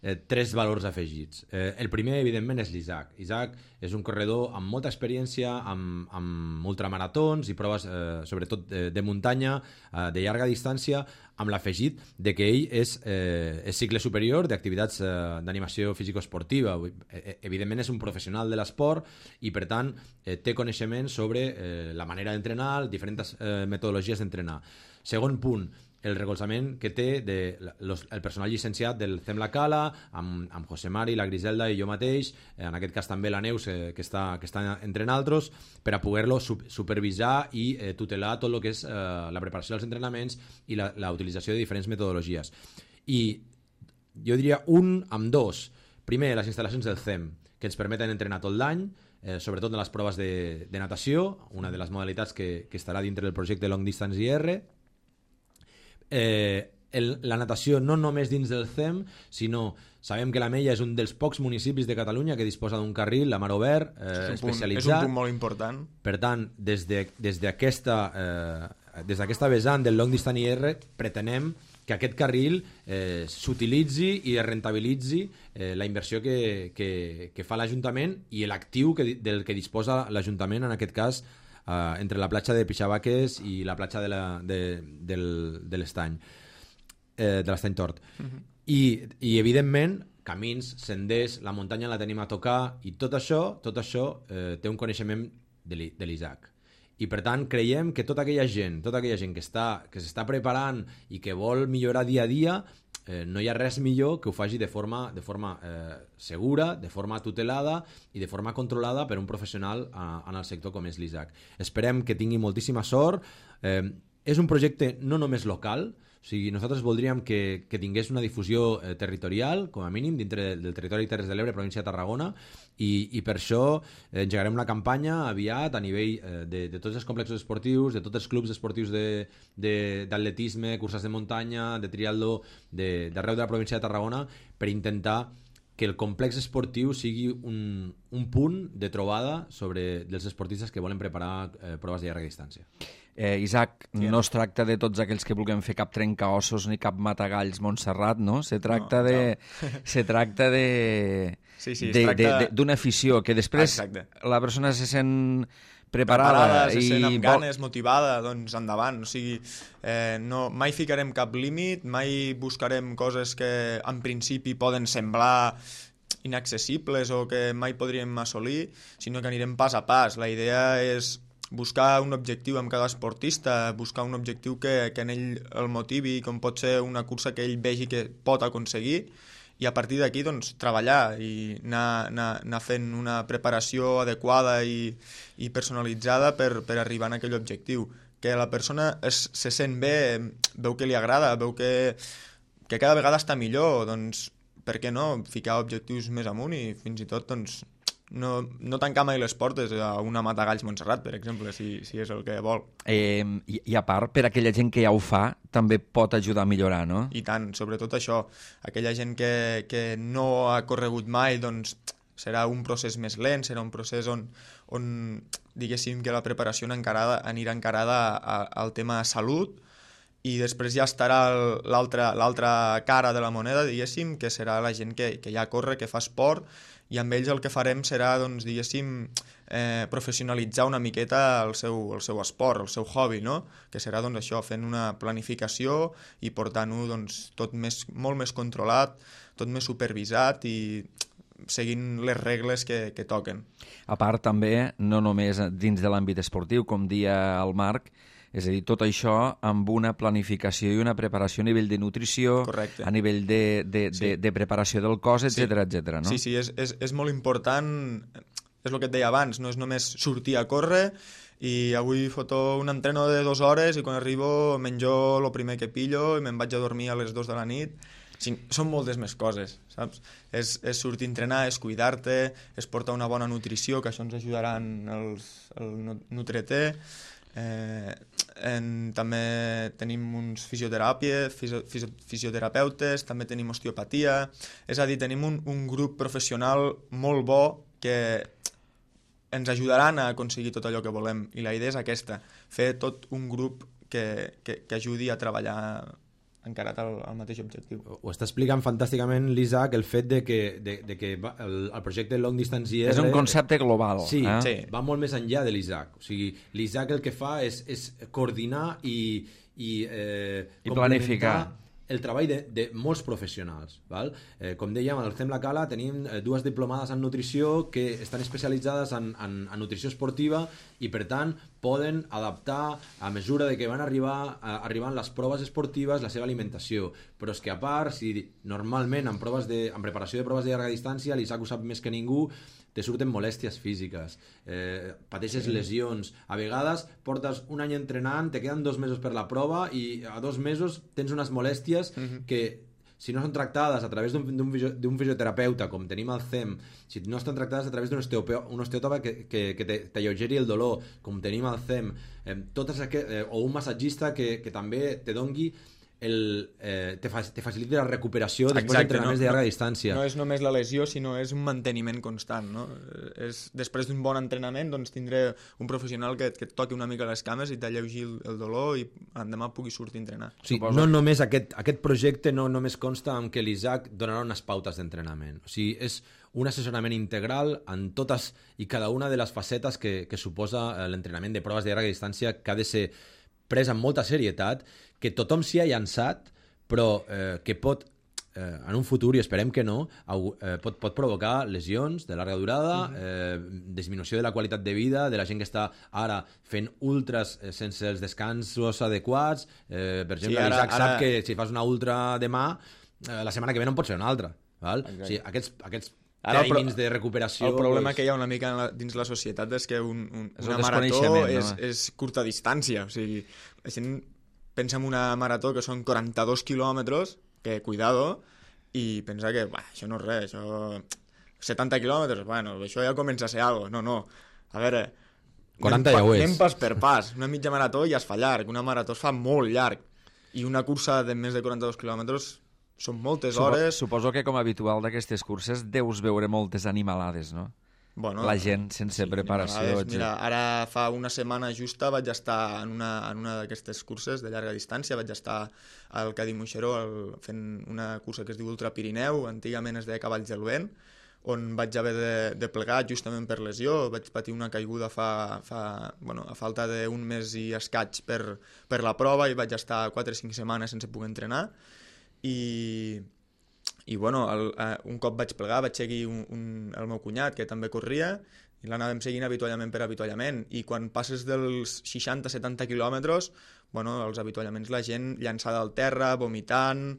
eh, tres valors afegits. Eh, el primer, evidentment, és l'Isaac. Isaac és un corredor amb molta experiència, amb, amb ultramaratons i proves, eh, sobretot, de, de muntanya, eh, de llarga distància, amb l'afegit de que ell és, eh, és cicle superior d'activitats eh, d'animació físico-esportiva. Eh, evidentment és un professional de l'esport i, per tant, eh, té coneixement sobre eh, la manera d'entrenar, diferents eh, metodologies d'entrenar. Segon punt, el recolzament que té de, los, el personal llicenciat del C E M La Cala, amb, amb José Mari, la Griselda i jo mateix, eh, en aquest cas també la Neus, eh, que, està, que està entre nosaltres, per a poder-lo su supervisar i eh, tutelar tot el que és eh, la preparació dels entrenaments i la, la utilització de diferents metodologies. I jo diria un amb dos. Primer, les instal·lacions del C E M, que ens permeten entrenar tot l'any, eh, sobretot en les proves de, de natació, una de les modalitats que, que estarà dintre del projecte Long Distance I R. Eh, el, la natació no només dins del C E M, sinó sabem que la Mella és un dels pocs municipis de Catalunya que disposa d'un carril a mar obert eh, és, un punt, especialitzat. és un punt molt important. Per tant, des d'aquesta de, eh, des d'aquesta vessant del Long Distance I R pretenem que aquest carril eh, s'utilitzi i es rentabilitzi eh, la inversió que, que, que fa l'Ajuntament i l'actiu que, del que disposa l'Ajuntament, en aquest cas, Uh, entre la platja de Pixabaques i la platja de la, de, del, de l'Estany eh, de l'Estany Tort. Uh -huh. I, i evidentment camins, senders, la muntanya la tenim a tocar i tot això, tot això eh, té un coneixement de l'Isaac. I per tant creiem que tota aquella gent, tota aquella gent que està, que s'està preparant i que vol millorar dia a dia, eh, no hi ha res millor que ho faci de forma, de forma eh, segura, de forma tutelada i de forma controlada per un professional a, en el sector com és l'Isaac. Esperem que tingui moltíssima sort. Eh, és un projecte no només local, o sigui, nosaltres voldríem que, que tingués una difusió eh, territorial, com a mínim, dintre del territori de Terres de l'Ebre, província de Tarragona, i, i per això eh, engegarem una campanya aviat a nivell eh, de, de tots els complexos esportius, de tots els clubs esportius d'atletisme, curses de muntanya, de triatló, d'arreu de, de la província de Tarragona, per intentar que el complex esportiu sigui un, un punt de trobada sobre dels esportistes que volen preparar eh, proves de llarga distància. Eh, Isaac, sí, no es tracta de tots aquells que vulguem fer cap trencaossos ni cap matagalls Montserrat, no? Se tracta no, de... No. Se tracta de... Sí, sí, de, tracta... de, d'una afició, que després Exacte. La persona se sent preparada, preparada i se sent amb vol... ganes, motivada, doncs endavant. O sigui, eh, no, mai ficarem cap límit, mai buscarem coses que en principi poden semblar inaccessibles o que mai podríem assolir, sinó que anirem pas a pas. La idea és buscar un objectiu amb cada esportista, buscar un objectiu que, que en ell el motivi, com pot ser una cursa que ell vegi que pot aconseguir, i a partir d'aquí doncs, treballar i anar, anar, anar fent una preparació adequada i, i personalitzada per, per arribar a aquell objectiu. Que la persona es, se sent bé, veu que li agrada, veu que, que cada vegada està millor, doncs per què no ficar objectius més amunt i fins i tot doncs, no, no tancar mai les portes a una Matagalls Montserrat, per exemple, si, si és el que vol. Eh, i, I a part, per aquella gent que ja ho fa, també pot ajudar a millorar, no? I tant, sobretot això. Aquella gent que, que no ha corregut mai, doncs serà un procés més lent, serà un procés on, on diguéssim que la preparació encarada, anirà encarada a, al tema salut, i després ja estarà l'altra cara de la moneda, diguéssim, que serà la gent que, que ja corre, que fa esport, i amb ells el que farem serà, doncs, diguéssim, eh, professionalitzar una miqueta el seu, el seu esport, el seu hobby, no? Que serà, doncs, això, fent una planificació i portant-ho, doncs, tot més, molt més controlat, tot més supervisat i seguint les regles que, que toquen. A part, també, no només dins de l'àmbit esportiu, com dia el Marc, és a dir, tot això amb una planificació i una preparació a nivell de nutrició, correcte, a nivell de, de, sí, de, de preparació del cos, etcètera, sí, etcètera, no? Sí, sí, és, és, és molt important, és el que et deia abans, no és només sortir a córrer i avui foto un entreno de dues hores i quan arribo menjo el primer que pillo i me'n vaig a dormir a les dues de la nit. Sí, són moltes més coses, saps? És, és sortir a entrenar, és cuidar-te, és portar una bona nutrició, que això ens ajudaran els, el Nutreté. Eh, en, també tenim uns fisioteràpia, fisio, fisio, fisioterapeutes, també tenim osteopatia, és a dir, tenim un, un grup professional molt bo que ens ajudaran a aconseguir tot allò que volem, i la idea és aquesta, fer tot un grup que, que, que ajudi a treballar encarat al, al mateix objectiu. Ho està explicant fantàsticament l'Isaac, el fet de que, de, de que va, el, el projecte Long Distance I R... És un concepte global. Sí, eh? sí, va molt més enllà de l'Isaac. O sigui, l'Isaac el que fa és, és coordinar i, i, eh, I planificar el treball de, de molts professionals. Val? Eh, com dèiem, al C E M La Cala tenim dues diplomades en nutrició que estan especialitzades en, en, en nutrició esportiva i, per tant, poden adaptar a mesura de que van arribar a, arribant les proves esportives la seva alimentació. Però és que, a part, si normalment en, proves de, en preparació de proves de llarga distància, l'Isaac ho sap més que ningú, te surten molèsties físiques, eh, pateixes sí. lesions, a vegades portes un any entrenant, te queden dos mesos per la prova i a dos mesos tens unes molèsties uh-huh. que si no són tractades a través d'un fisioterapeuta, com tenim al C E M, si no estan tractades a través d'un osteòpata que, que, que t'alleugeri el dolor, com tenim al C E M, eh, totes aquest, eh, o un massatgista que, que també te dongui el, eh, te, fa, te facilita la recuperació després d'entrenaments no, de llarga distància. No és només la lesió, sinó és un manteniment constant. No? És, després d'un bon entrenament doncs, tindré un professional que, que et toqui una mica les cames i t'alleugi el, el dolor i demà pugui sortir a entrenar. Sí, no només aquest, aquest projecte no només consta en que l'Isaac donarà unes pautes d'entrenament. O sigui, és un assessorament integral en totes i cada una de les facetes que, que suposa l'entrenament de proves de llarga distància, que ha de ser pres amb molta serietat, que tothom s'hi ha llançat, però eh, que pot, eh, en un futur, i esperem que no, eh, pot, pot provocar lesions de llarga durada, eh, disminució de la qualitat de vida de la gent que està ara fent ultras eh, sense els descansos adequats. Eh, per exemple, sí, ara, l'Isaac ara... sap que si fas una ultra demà, eh, la setmana que ve no en pot ser una altra. Val? O sigui, aquests, aquests Ara, timings de recuperació... El problema pues... que hi ha una mica la, dins la societat és que un, un, és una un marató no? és, és curta distància. O sigui, la gent pensa en una marató que són quaranta-dos quilòmetres, que cuidado, i pensa que bah, això no és res, això... setanta quilòmetres, bueno, això ja comença a ser algo. No, no. A veure... quaranta ja ho és. Anem pas per pas. Una mitja marató ja es fa llarg, una marató es fa molt llarg. I una cursa de més de quaranta-dos quilòmetres són moltes hores... Suposo que, com a habitual d'aquestes curses, deus veure moltes animalades, no? Bueno, la gent sense sí, preparació. Mira, ara fa una setmana justa vaig estar en una, en una d'aquestes curses de llarga distància, vaig estar al Cadí Moixeró el, fent una cursa que es diu Ultra Pirineu, antigament es deia Cavalls del Vent, on vaig haver de, de plegar justament per lesió, vaig patir una caiguda fa, fa, bueno, a falta d'un mes i escaig per, per la prova i vaig estar quatre o cinc setmanes sense poder entrenar. I, i bueno, el, uh, un cop vaig plegar vaig seguir un, un, el meu cunyat que també corria i l'anàvem seguint avituallament per avituallament i quan passes dels seixanta a setanta quilòmetres, bueno, els avituallaments la gent llançada al terra, vomitant,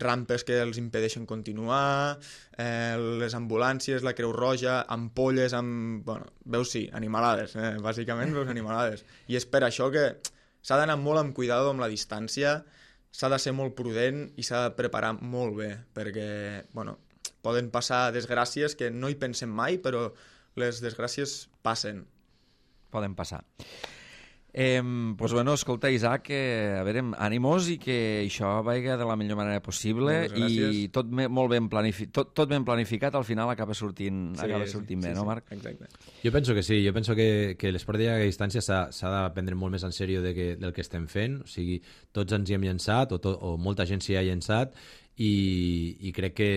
rampes que els impedeixen continuar, eh, les ambulàncies, la Creu Roja, ampolles amb... Bueno, veus sí, animalades, eh? Bàsicament veus animalades. I és per això que s'ha d'anar molt amb cuidado amb la distància, s'ha de ser molt prudent i s'ha de preparar molt bé, perquè bueno, poden passar desgràcies que no hi pensem mai, però les desgràcies passen. Poden passar. Eh, pues bueno, escolta, Isaac, eh, a veure, ànimos i que això vagi de la millor manera possible i tot, me, molt ben planific, tot, tot ben planificat, al final acaba sortint, sí, acaba sortint sí, bé, sí, no, Marc? Sí, exacte. Jo penso que sí, jo penso que, que l'esport de llarga distància s'ha de prendre molt més en sèrio de que, del que estem fent, o sigui, tots ens hi hem llançat, o, to, o molta gent s'hi ha llançat, i, i crec que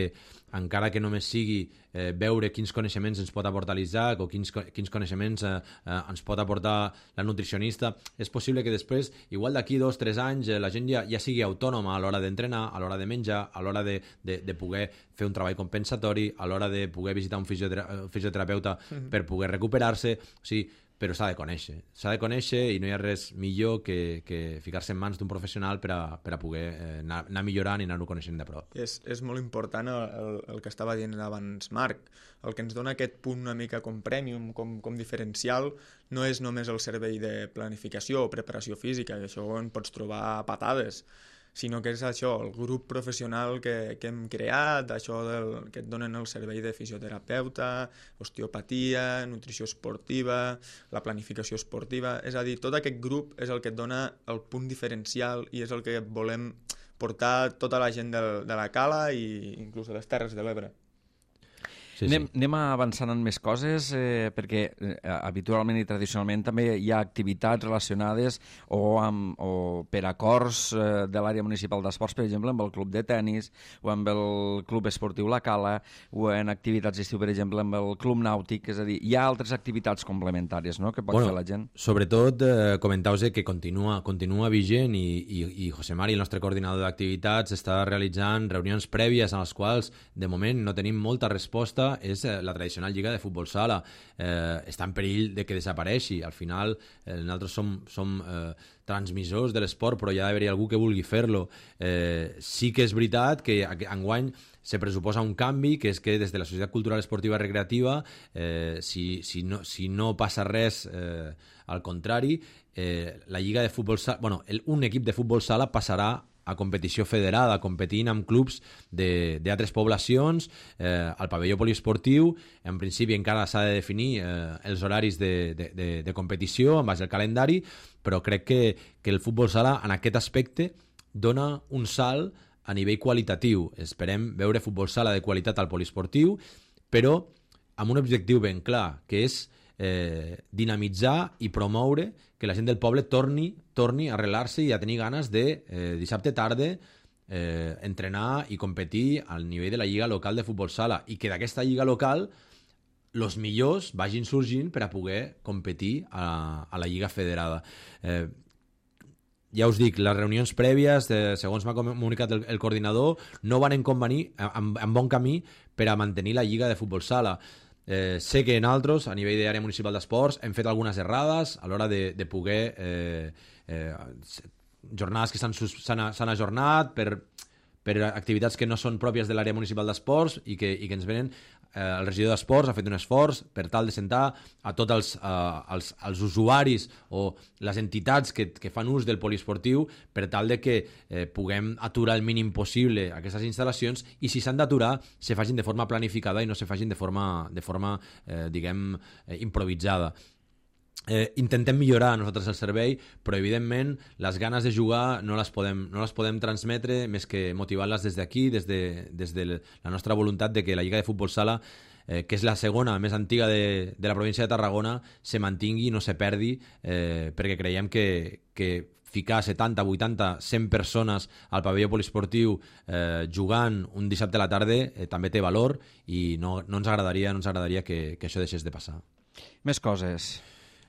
encara que només sigui eh, veure quins coneixements ens pot aportar l'Isaac o quins, quins coneixements eh, eh, ens pot aportar la nutricionista, és possible que després, igual d'aquí dos o tres anys, eh, la gent ja, ja sigui autònoma a l'hora d'entrenar, a l'hora de menjar, a l'hora de, de, de poder fer un treball compensatori, a l'hora de poder visitar un fisiotera fisioterapeuta mm-hmm. per poder recuperar-se. O sigui, però s'ha de conèixer. S'ha de conèixer i no hi ha res millor que, que ficar-se en mans d'un professional per a, per a poder eh, anar, anar millorant i anar-ho coneixent de prop. És, és molt important el, el, el que estava dient abans Marc. El que ens dona aquest punt una mica com premium, com, com diferencial, no és només el servei de planificació o preparació física, que això en pots trobar a patades, sinó que és això, el grup professional que, que hem creat, això del, que et donen el servei de fisioterapeuta, osteopatia, nutrició esportiva, la planificació esportiva, és a dir, tot aquest grup és el que et dona el punt diferencial i és el que volem portar tota la gent de, de la Cala i inclús de les Terres de l'Ebre. Sí, anem, sí. anem avançant en més coses, eh, perquè eh, habitualment i tradicionalment també hi ha activitats relacionades o, amb, o per acords eh, de l'àrea municipal d'esports, per exemple, amb el club de tennis o amb el club esportiu La Cala o en activitats d'estiu, per exemple, amb el club nàutic, és a dir, hi ha altres activitats complementàries, no?, que pot bueno, fer la gent. Sobretot, eh, comentau-vos que continua, continua vigent i, i, i José Mari, el nostre coordinador d'activitats, està realitzant reunions prèvies en les quals, de moment, no tenim molta resposta. És la tradicional lliga de futbol sala. Eh, està en perill de que desapareixi. Al final, eh, nosaltres som, som eh, transmissors de l'esport, però hi ha d'haver algú que vulgui fer-lo. Eh, sí que és veritat que enguany se pressuposa un canvi, que és que des de la Societat Cultural Esportiva Recreativa, eh, si, si, no, si no passa res, eh, al contrari, eh, la lliga de futbol sala, bueno, el, un equip de futbol sala passarà a competició federada, competint amb clubs d'altres poblacions, eh, al pavelló poliesportiu. En principi encara s'ha de definir eh, els horaris de, de, de, de competició en base al calendari, però crec que, que el futbol sala en aquest aspecte dona un salt a nivell qualitatiu. Esperem veure futbol sala de qualitat al poliesportiu, però amb un objectiu ben clar, que és eh, dinamitzar i promoure que la gent del poble torni, torni a arrelar-se i a tenir ganes de eh, dissabte tarda eh, entrenar i competir al nivell de la lliga local de futbol sala i que d'aquesta lliga local els millors vagin sorgint per a poder competir a, a la lliga federada. Eh, ja us dic, les reunions prèvies, eh, segons m'ha comunicat el, el coordinador, no van en convenir, en, en bon camí per a mantenir la lliga de futbol sala. Eh, sé que en altres, a nivell d'àrea municipal d'esports, hem fet algunes errades a l'hora de, de poder eh, eh, jornades que s'han ajornat per, per activitats que no són pròpies de l'àrea municipal d'esports i que, i que ens venen. Eh, el regidor d'esports ha fet un esforç per tal de sentar a tots els, eh, els, els usuaris o les entitats que, que fan ús del poliesportiu per tal de que eh, puguem aturar el mínim possible aquestes instal·lacions i si s'han d'aturar se facin de forma planificada i no se facin de forma, de forma eh, diguem, eh, improvisada. Eh, intentem millorar nosaltres el servei, però evidentment les ganes de jugar no les podem, no les podem transmetre més que motivant-les des d'aquí, des de, des de la nostra voluntat de que la Lliga de Futbol Sala, eh, que és la segona més antiga de, de la província de Tarragona, se mantingui, no se perdi, eh, perquè creiem que, que ficar setanta, vuitanta, cent persones al pavelló poliesportiu eh, jugant un dissabte a la tarda eh, també té valor i no, no ens agradaria, no ens agradaria que, que això deixés de passar. Més coses.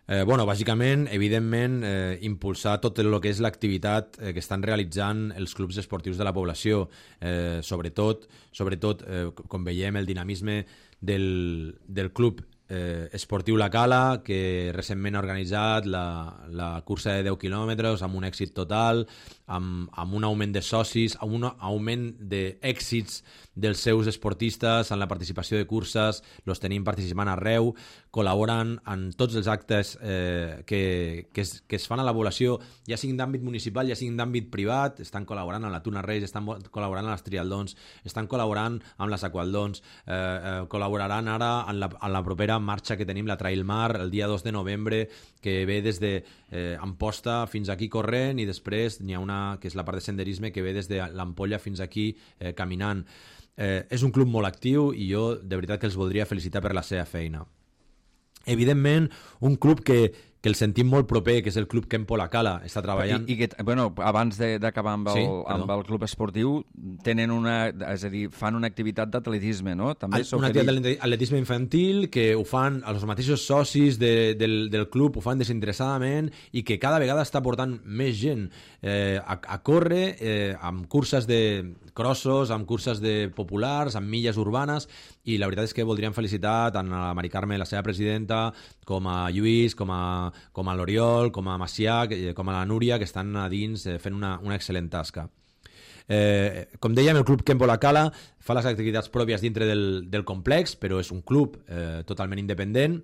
Eh, bueno, bàsicament, evidentment, eh, impulsar tot el que és l'activitat eh, que estan realitzant els clubs esportius de la població. Eh, sobretot, sobretot eh, com veiem, el dinamisme del, del club eh, esportiu La Cala, que recentment ha organitzat la, la cursa de deu quilòmetres amb un èxit total, amb, amb un augment de socis, amb un augment d'èxits dels seus esportistes en la participació de curses, els tenim participant arreu, col·laboren en tots els actes eh, que, que, es, que es fan a la població, ja siguin d'àmbit municipal, ja siguin d'àmbit privat, estan col·laborant amb la Tuna Reis, estan col·laborant amb les trialdons, estan col·laborant amb les aqualdons, eh, eh, col·laboraran ara en la, en la propera marxa que tenim, la Trail Mar, el dia dos de novembre, que ve des de eh, Amposta fins aquí corrent i després n'hi ha una que és la part de senderisme que ve des de l'Ampolla fins aquí eh, caminant. Eh, és un club molt actiu i jo de veritat que els voldria felicitar per la seva feina. Evidentment, un club que, que el sentim molt proper, que és el club Kempo La Cala, està treballant... I, i que, bueno, abans d'acabar amb, el, sí, amb el club esportiu, tenen una, és a dir, fan una activitat d'atletisme, no? També una activitat d'atletisme infantil que ho fan els mateixos socis de, del, del club, ho fan desinteressadament i que cada vegada està portant més gent eh, a, a córrer eh, amb curses de crossos, amb curses de populars, amb milles urbanes, i la veritat és que voldríem felicitar tant a la Mari Carme, la seva presidenta, com a Lluís, com a, com a l'Oriol, com a Macià, com a la Núria, que estan a dins eh, fent una, una excel·lent tasca. Eh, com dèiem, el club Kempo La Cala fa les activitats pròpies dintre del, del complex, però és un club eh, totalment independent.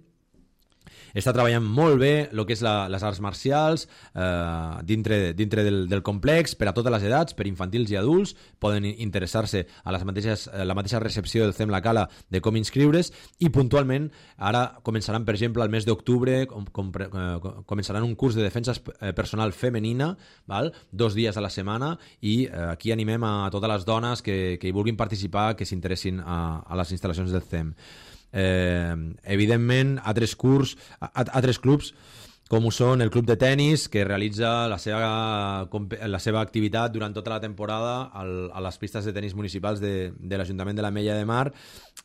està treballant molt bé el que és la, les arts marcials eh, dintre, dintre del, del complex per a totes les edats, per infantils i adults. Poden interessar-se a les mateixes, la mateixa recepció del C E M La Cala de com inscriure's, i puntualment ara començaran, per exemple, al mes d'octubre com, com, eh, començaran un curs de defensa personal femenina, val? Dos dies a la setmana, i eh, aquí animem a totes les dones que, que hi vulguin participar, que s'interessin a, a les instal·lacions del C E M. Eh, evidentment altres curs, altres clubs com ho són el club de tennis, que realitza la seva, la seva activitat durant tota la temporada al, a les pistes de tennis municipals de, de l'Ajuntament de l'Ametlla de Mar,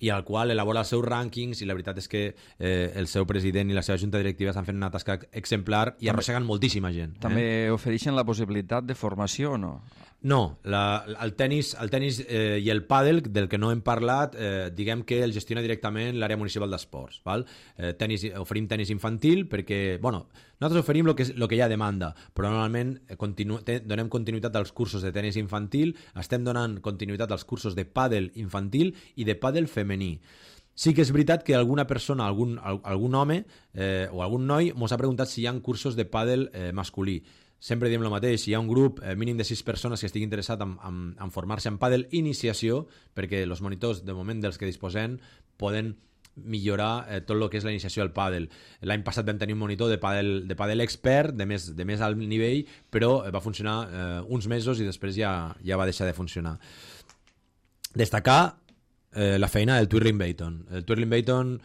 i al qual elabora els seus rànquings, i la veritat és que eh, el seu president i la seva junta directiva estan fent una tasca exemplar i arrosseguen moltíssima gent. També eh? ofereixen la possibilitat de formació o no? No, la, el tenis, el tenis eh, i el pàdel, del que no hem parlat, eh, diguem que el gestiona directament l'àrea municipal d'esports. Val? Eh, tenis, oferim tenis infantil perquè, bueno, nosaltres oferim el que, lo que hi ha demanda, però normalment continu, te, donem continuïtat als cursos de tenis infantil, estem donant continuïtat als cursos de pàdel infantil i de pàdel femení. Sí que és veritat que alguna persona, algun, algun home eh, o algun noi mos ha preguntat si hi ha cursos de pàdel eh, masculí. Sempre diem el mateix, hi ha un grup eh, mínim de sis persones que estigui interessat en, en, en formar-se en pàdel iniciació, perquè els monitors, de moment dels que disposem, poden millorar eh, tot el que és la iniciació al pàdel. L'any passat vam tenir un monitor de pàdel, de pàdel expert, de més, de més alt nivell, però va funcionar eh, uns mesos i després ja, ja va deixar de funcionar. Destacar eh, la feina del Twirling Bayton. El Twirling Bayton,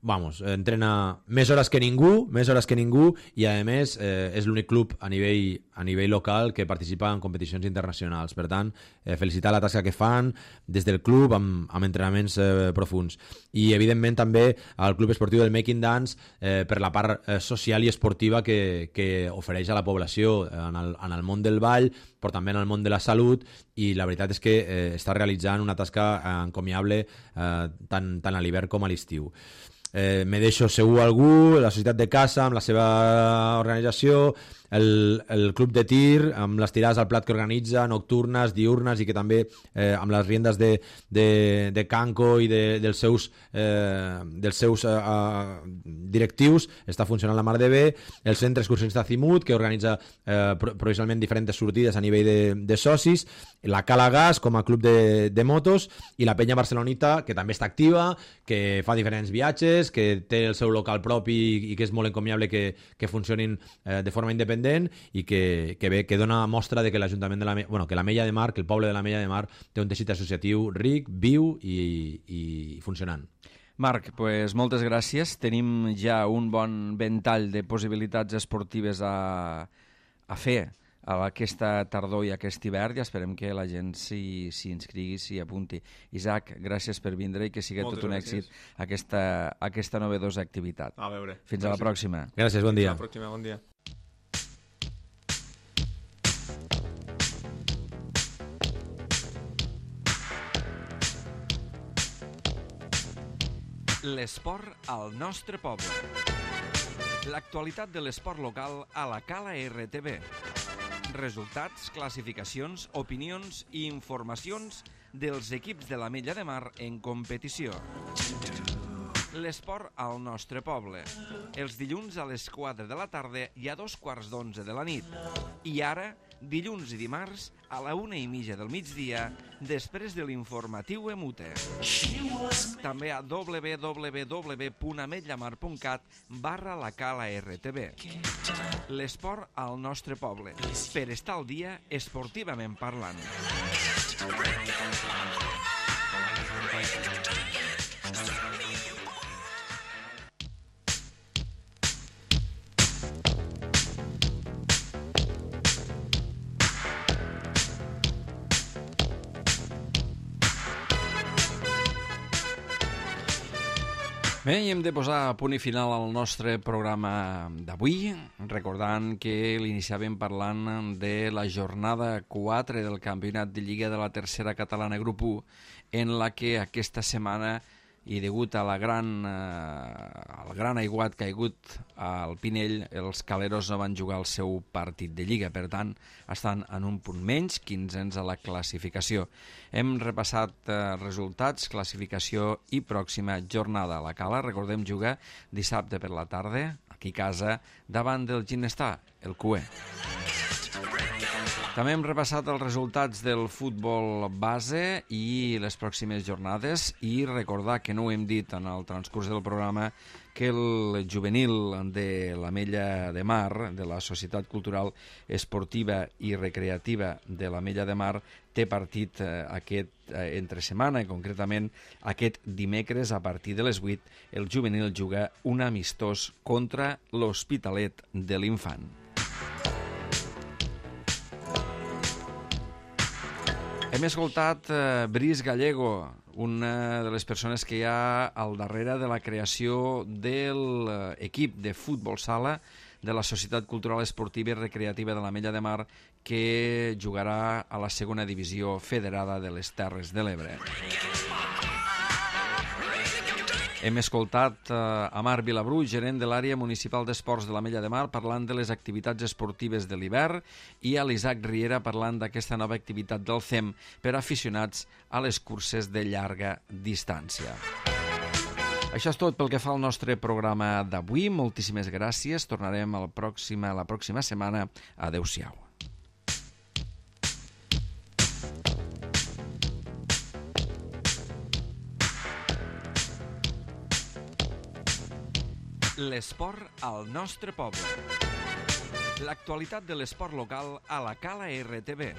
vamos, entrena més hores que ningú, més hores que ningú, i a més eh, és l'únic club a nivell, a nivell local que participa en competicions internacionals. Per tant, eh, felicitar la tasca que fan des del club amb, amb entrenaments eh, profuns. I evidentment també al Club Esportiu del Making Dance eh, per la part eh, social i esportiva que, que ofereix a la població en el, en el món del ball, però també en el món de la salut, i la veritat és que eh, està realitzant una tasca eh, encomiable eh, tant, tant a l'hivern com a l'estiu. Eh, me deixo segur algú, la Societat de Caça amb la seva organització, el, el Club de Tir amb les tirades al plat que organitza, nocturnes, diurnes, i que també eh, amb les riendes de, de, de Canco i de, dels seus, eh, dels seus eh, directius està funcionant la mar de bé. El Centre Excursionista Azimut, que organitza eh, provisionalment diferents sortides a nivell de, de socis, la Cala Gas com a club de, de motos, i la Penya Barcelonita, que també està activa, que fa diferents viatges, que té el seu local propi i que és molt encomiable que, que funcionin eh, de forma independent, i que, que, bé, que dona mostra de que l'Ajuntament de la, bueno, que l'Ametlla de Mar, que el poble de l'Ametlla de Mar té un teixit associatiu ric, viu i, i funcionant. Marc, pues moltes gràcies. Tenim ja un bon ventall de possibilitats esportives a, a fer a aquesta tardor i aquest hivern, i esperem que la gent s'hi inscrigui, s'hi apunti. Isaac, gràcies per vindre i que sigui tot un gràcies. èxit aquesta, aquesta novedosa activitat. A veure. Fins gràcies. a la pròxima. Gràcies, bon dia. Fins a la pròxima, bon dia. L'esport al nostre poble. L'actualitat de l'esport local a la Cala R T V. Resultats, classificacions, opinions i informacions dels equips de l'Ametlla de Mar en competició. L'esport al nostre poble. Els dilluns a les quatre de la tarda i a dos quarts d'onze de la nit. I ara, dilluns i dimarts, a la una i mitja del migdia, després de l'informatiu Emute. També a w w w punt ametllamar punt cat barra la Cala R T V. L'esport al nostre poble. Per estar al dia esportivament parlant. Bé, i hem de posar punt i final al nostre programa d'avui, recordant que l'iniciàvem parlant de la jornada quatre del Campionat de Lliga de la Tercera Catalana Grup u, en la que aquesta setmana i degut a la gran, eh, al gran aiguat que ha hagut al Pinell, els caleros no van jugar el seu partit de Lliga. Per tant, estan en un punt menys, quinzens a la classificació. Hem repassat eh, resultats, classificació i pròxima jornada. La Cala, recordem, juga dissabte per la tarda, aquí a casa, davant del Ginestar, el Cué. També hem repassat els resultats del futbol base i les pròximes jornades i recordar que no ho hem dit en el transcurs del programa que el juvenil de l'Ametlla de Mar, de la Societat Cultural Esportiva i Recreativa de l'Ametlla de Mar, té partit eh, aquest eh, entre setmana, concretament aquest dimecres a partir de les vuit. El juvenil juga un amistós contra l'Hospitalet de l'Infant. Hem escoltat eh, Brice Gallego, una de les persones que hi ha al darrere de la creació de l'equip de futbol sala de la Societat Cultural Esportiva i Recreativa de l'Ametlla de Mar, que jugarà a la segona divisió federada de les Terres de l'Ebre. Hem escoltat eh, a Marc Vilabrú, gerent de l'àrea municipal d'esports de l'Ametlla de Mar, parlant de les activitats esportives de l'hivern, i a l'Isaac Riera parlant d'aquesta nova activitat del C E M per aficionats a les curses de llarga distància. Això és tot pel que fa al nostre programa d'avui. Moltíssimes gràcies. Tornarem a la pròxima, la pròxima setmana. Adéu-siau. L'esport al nostre poble. L'actualitat de l'esport local a la Cala R T B.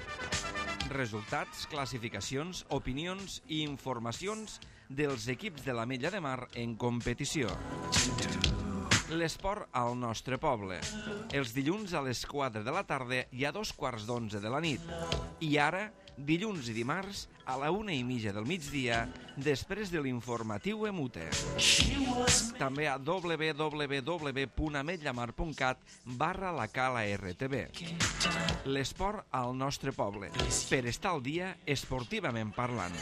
Resultats, classificacions, opinions i informacions dels equips de l'Ametlla de Mar en competició. L'esport al nostre poble. Els dilluns a les quatre de la tarda i a dos quarts d'onze de la nit. I ara, dilluns i dimarts, a la una i mitja del migdia, després de l'informatiu Emute. També a w w w punt ametllamar punt cat barra la Cala R T B. L'esport al nostre poble. Per estar al dia esportivament parlant.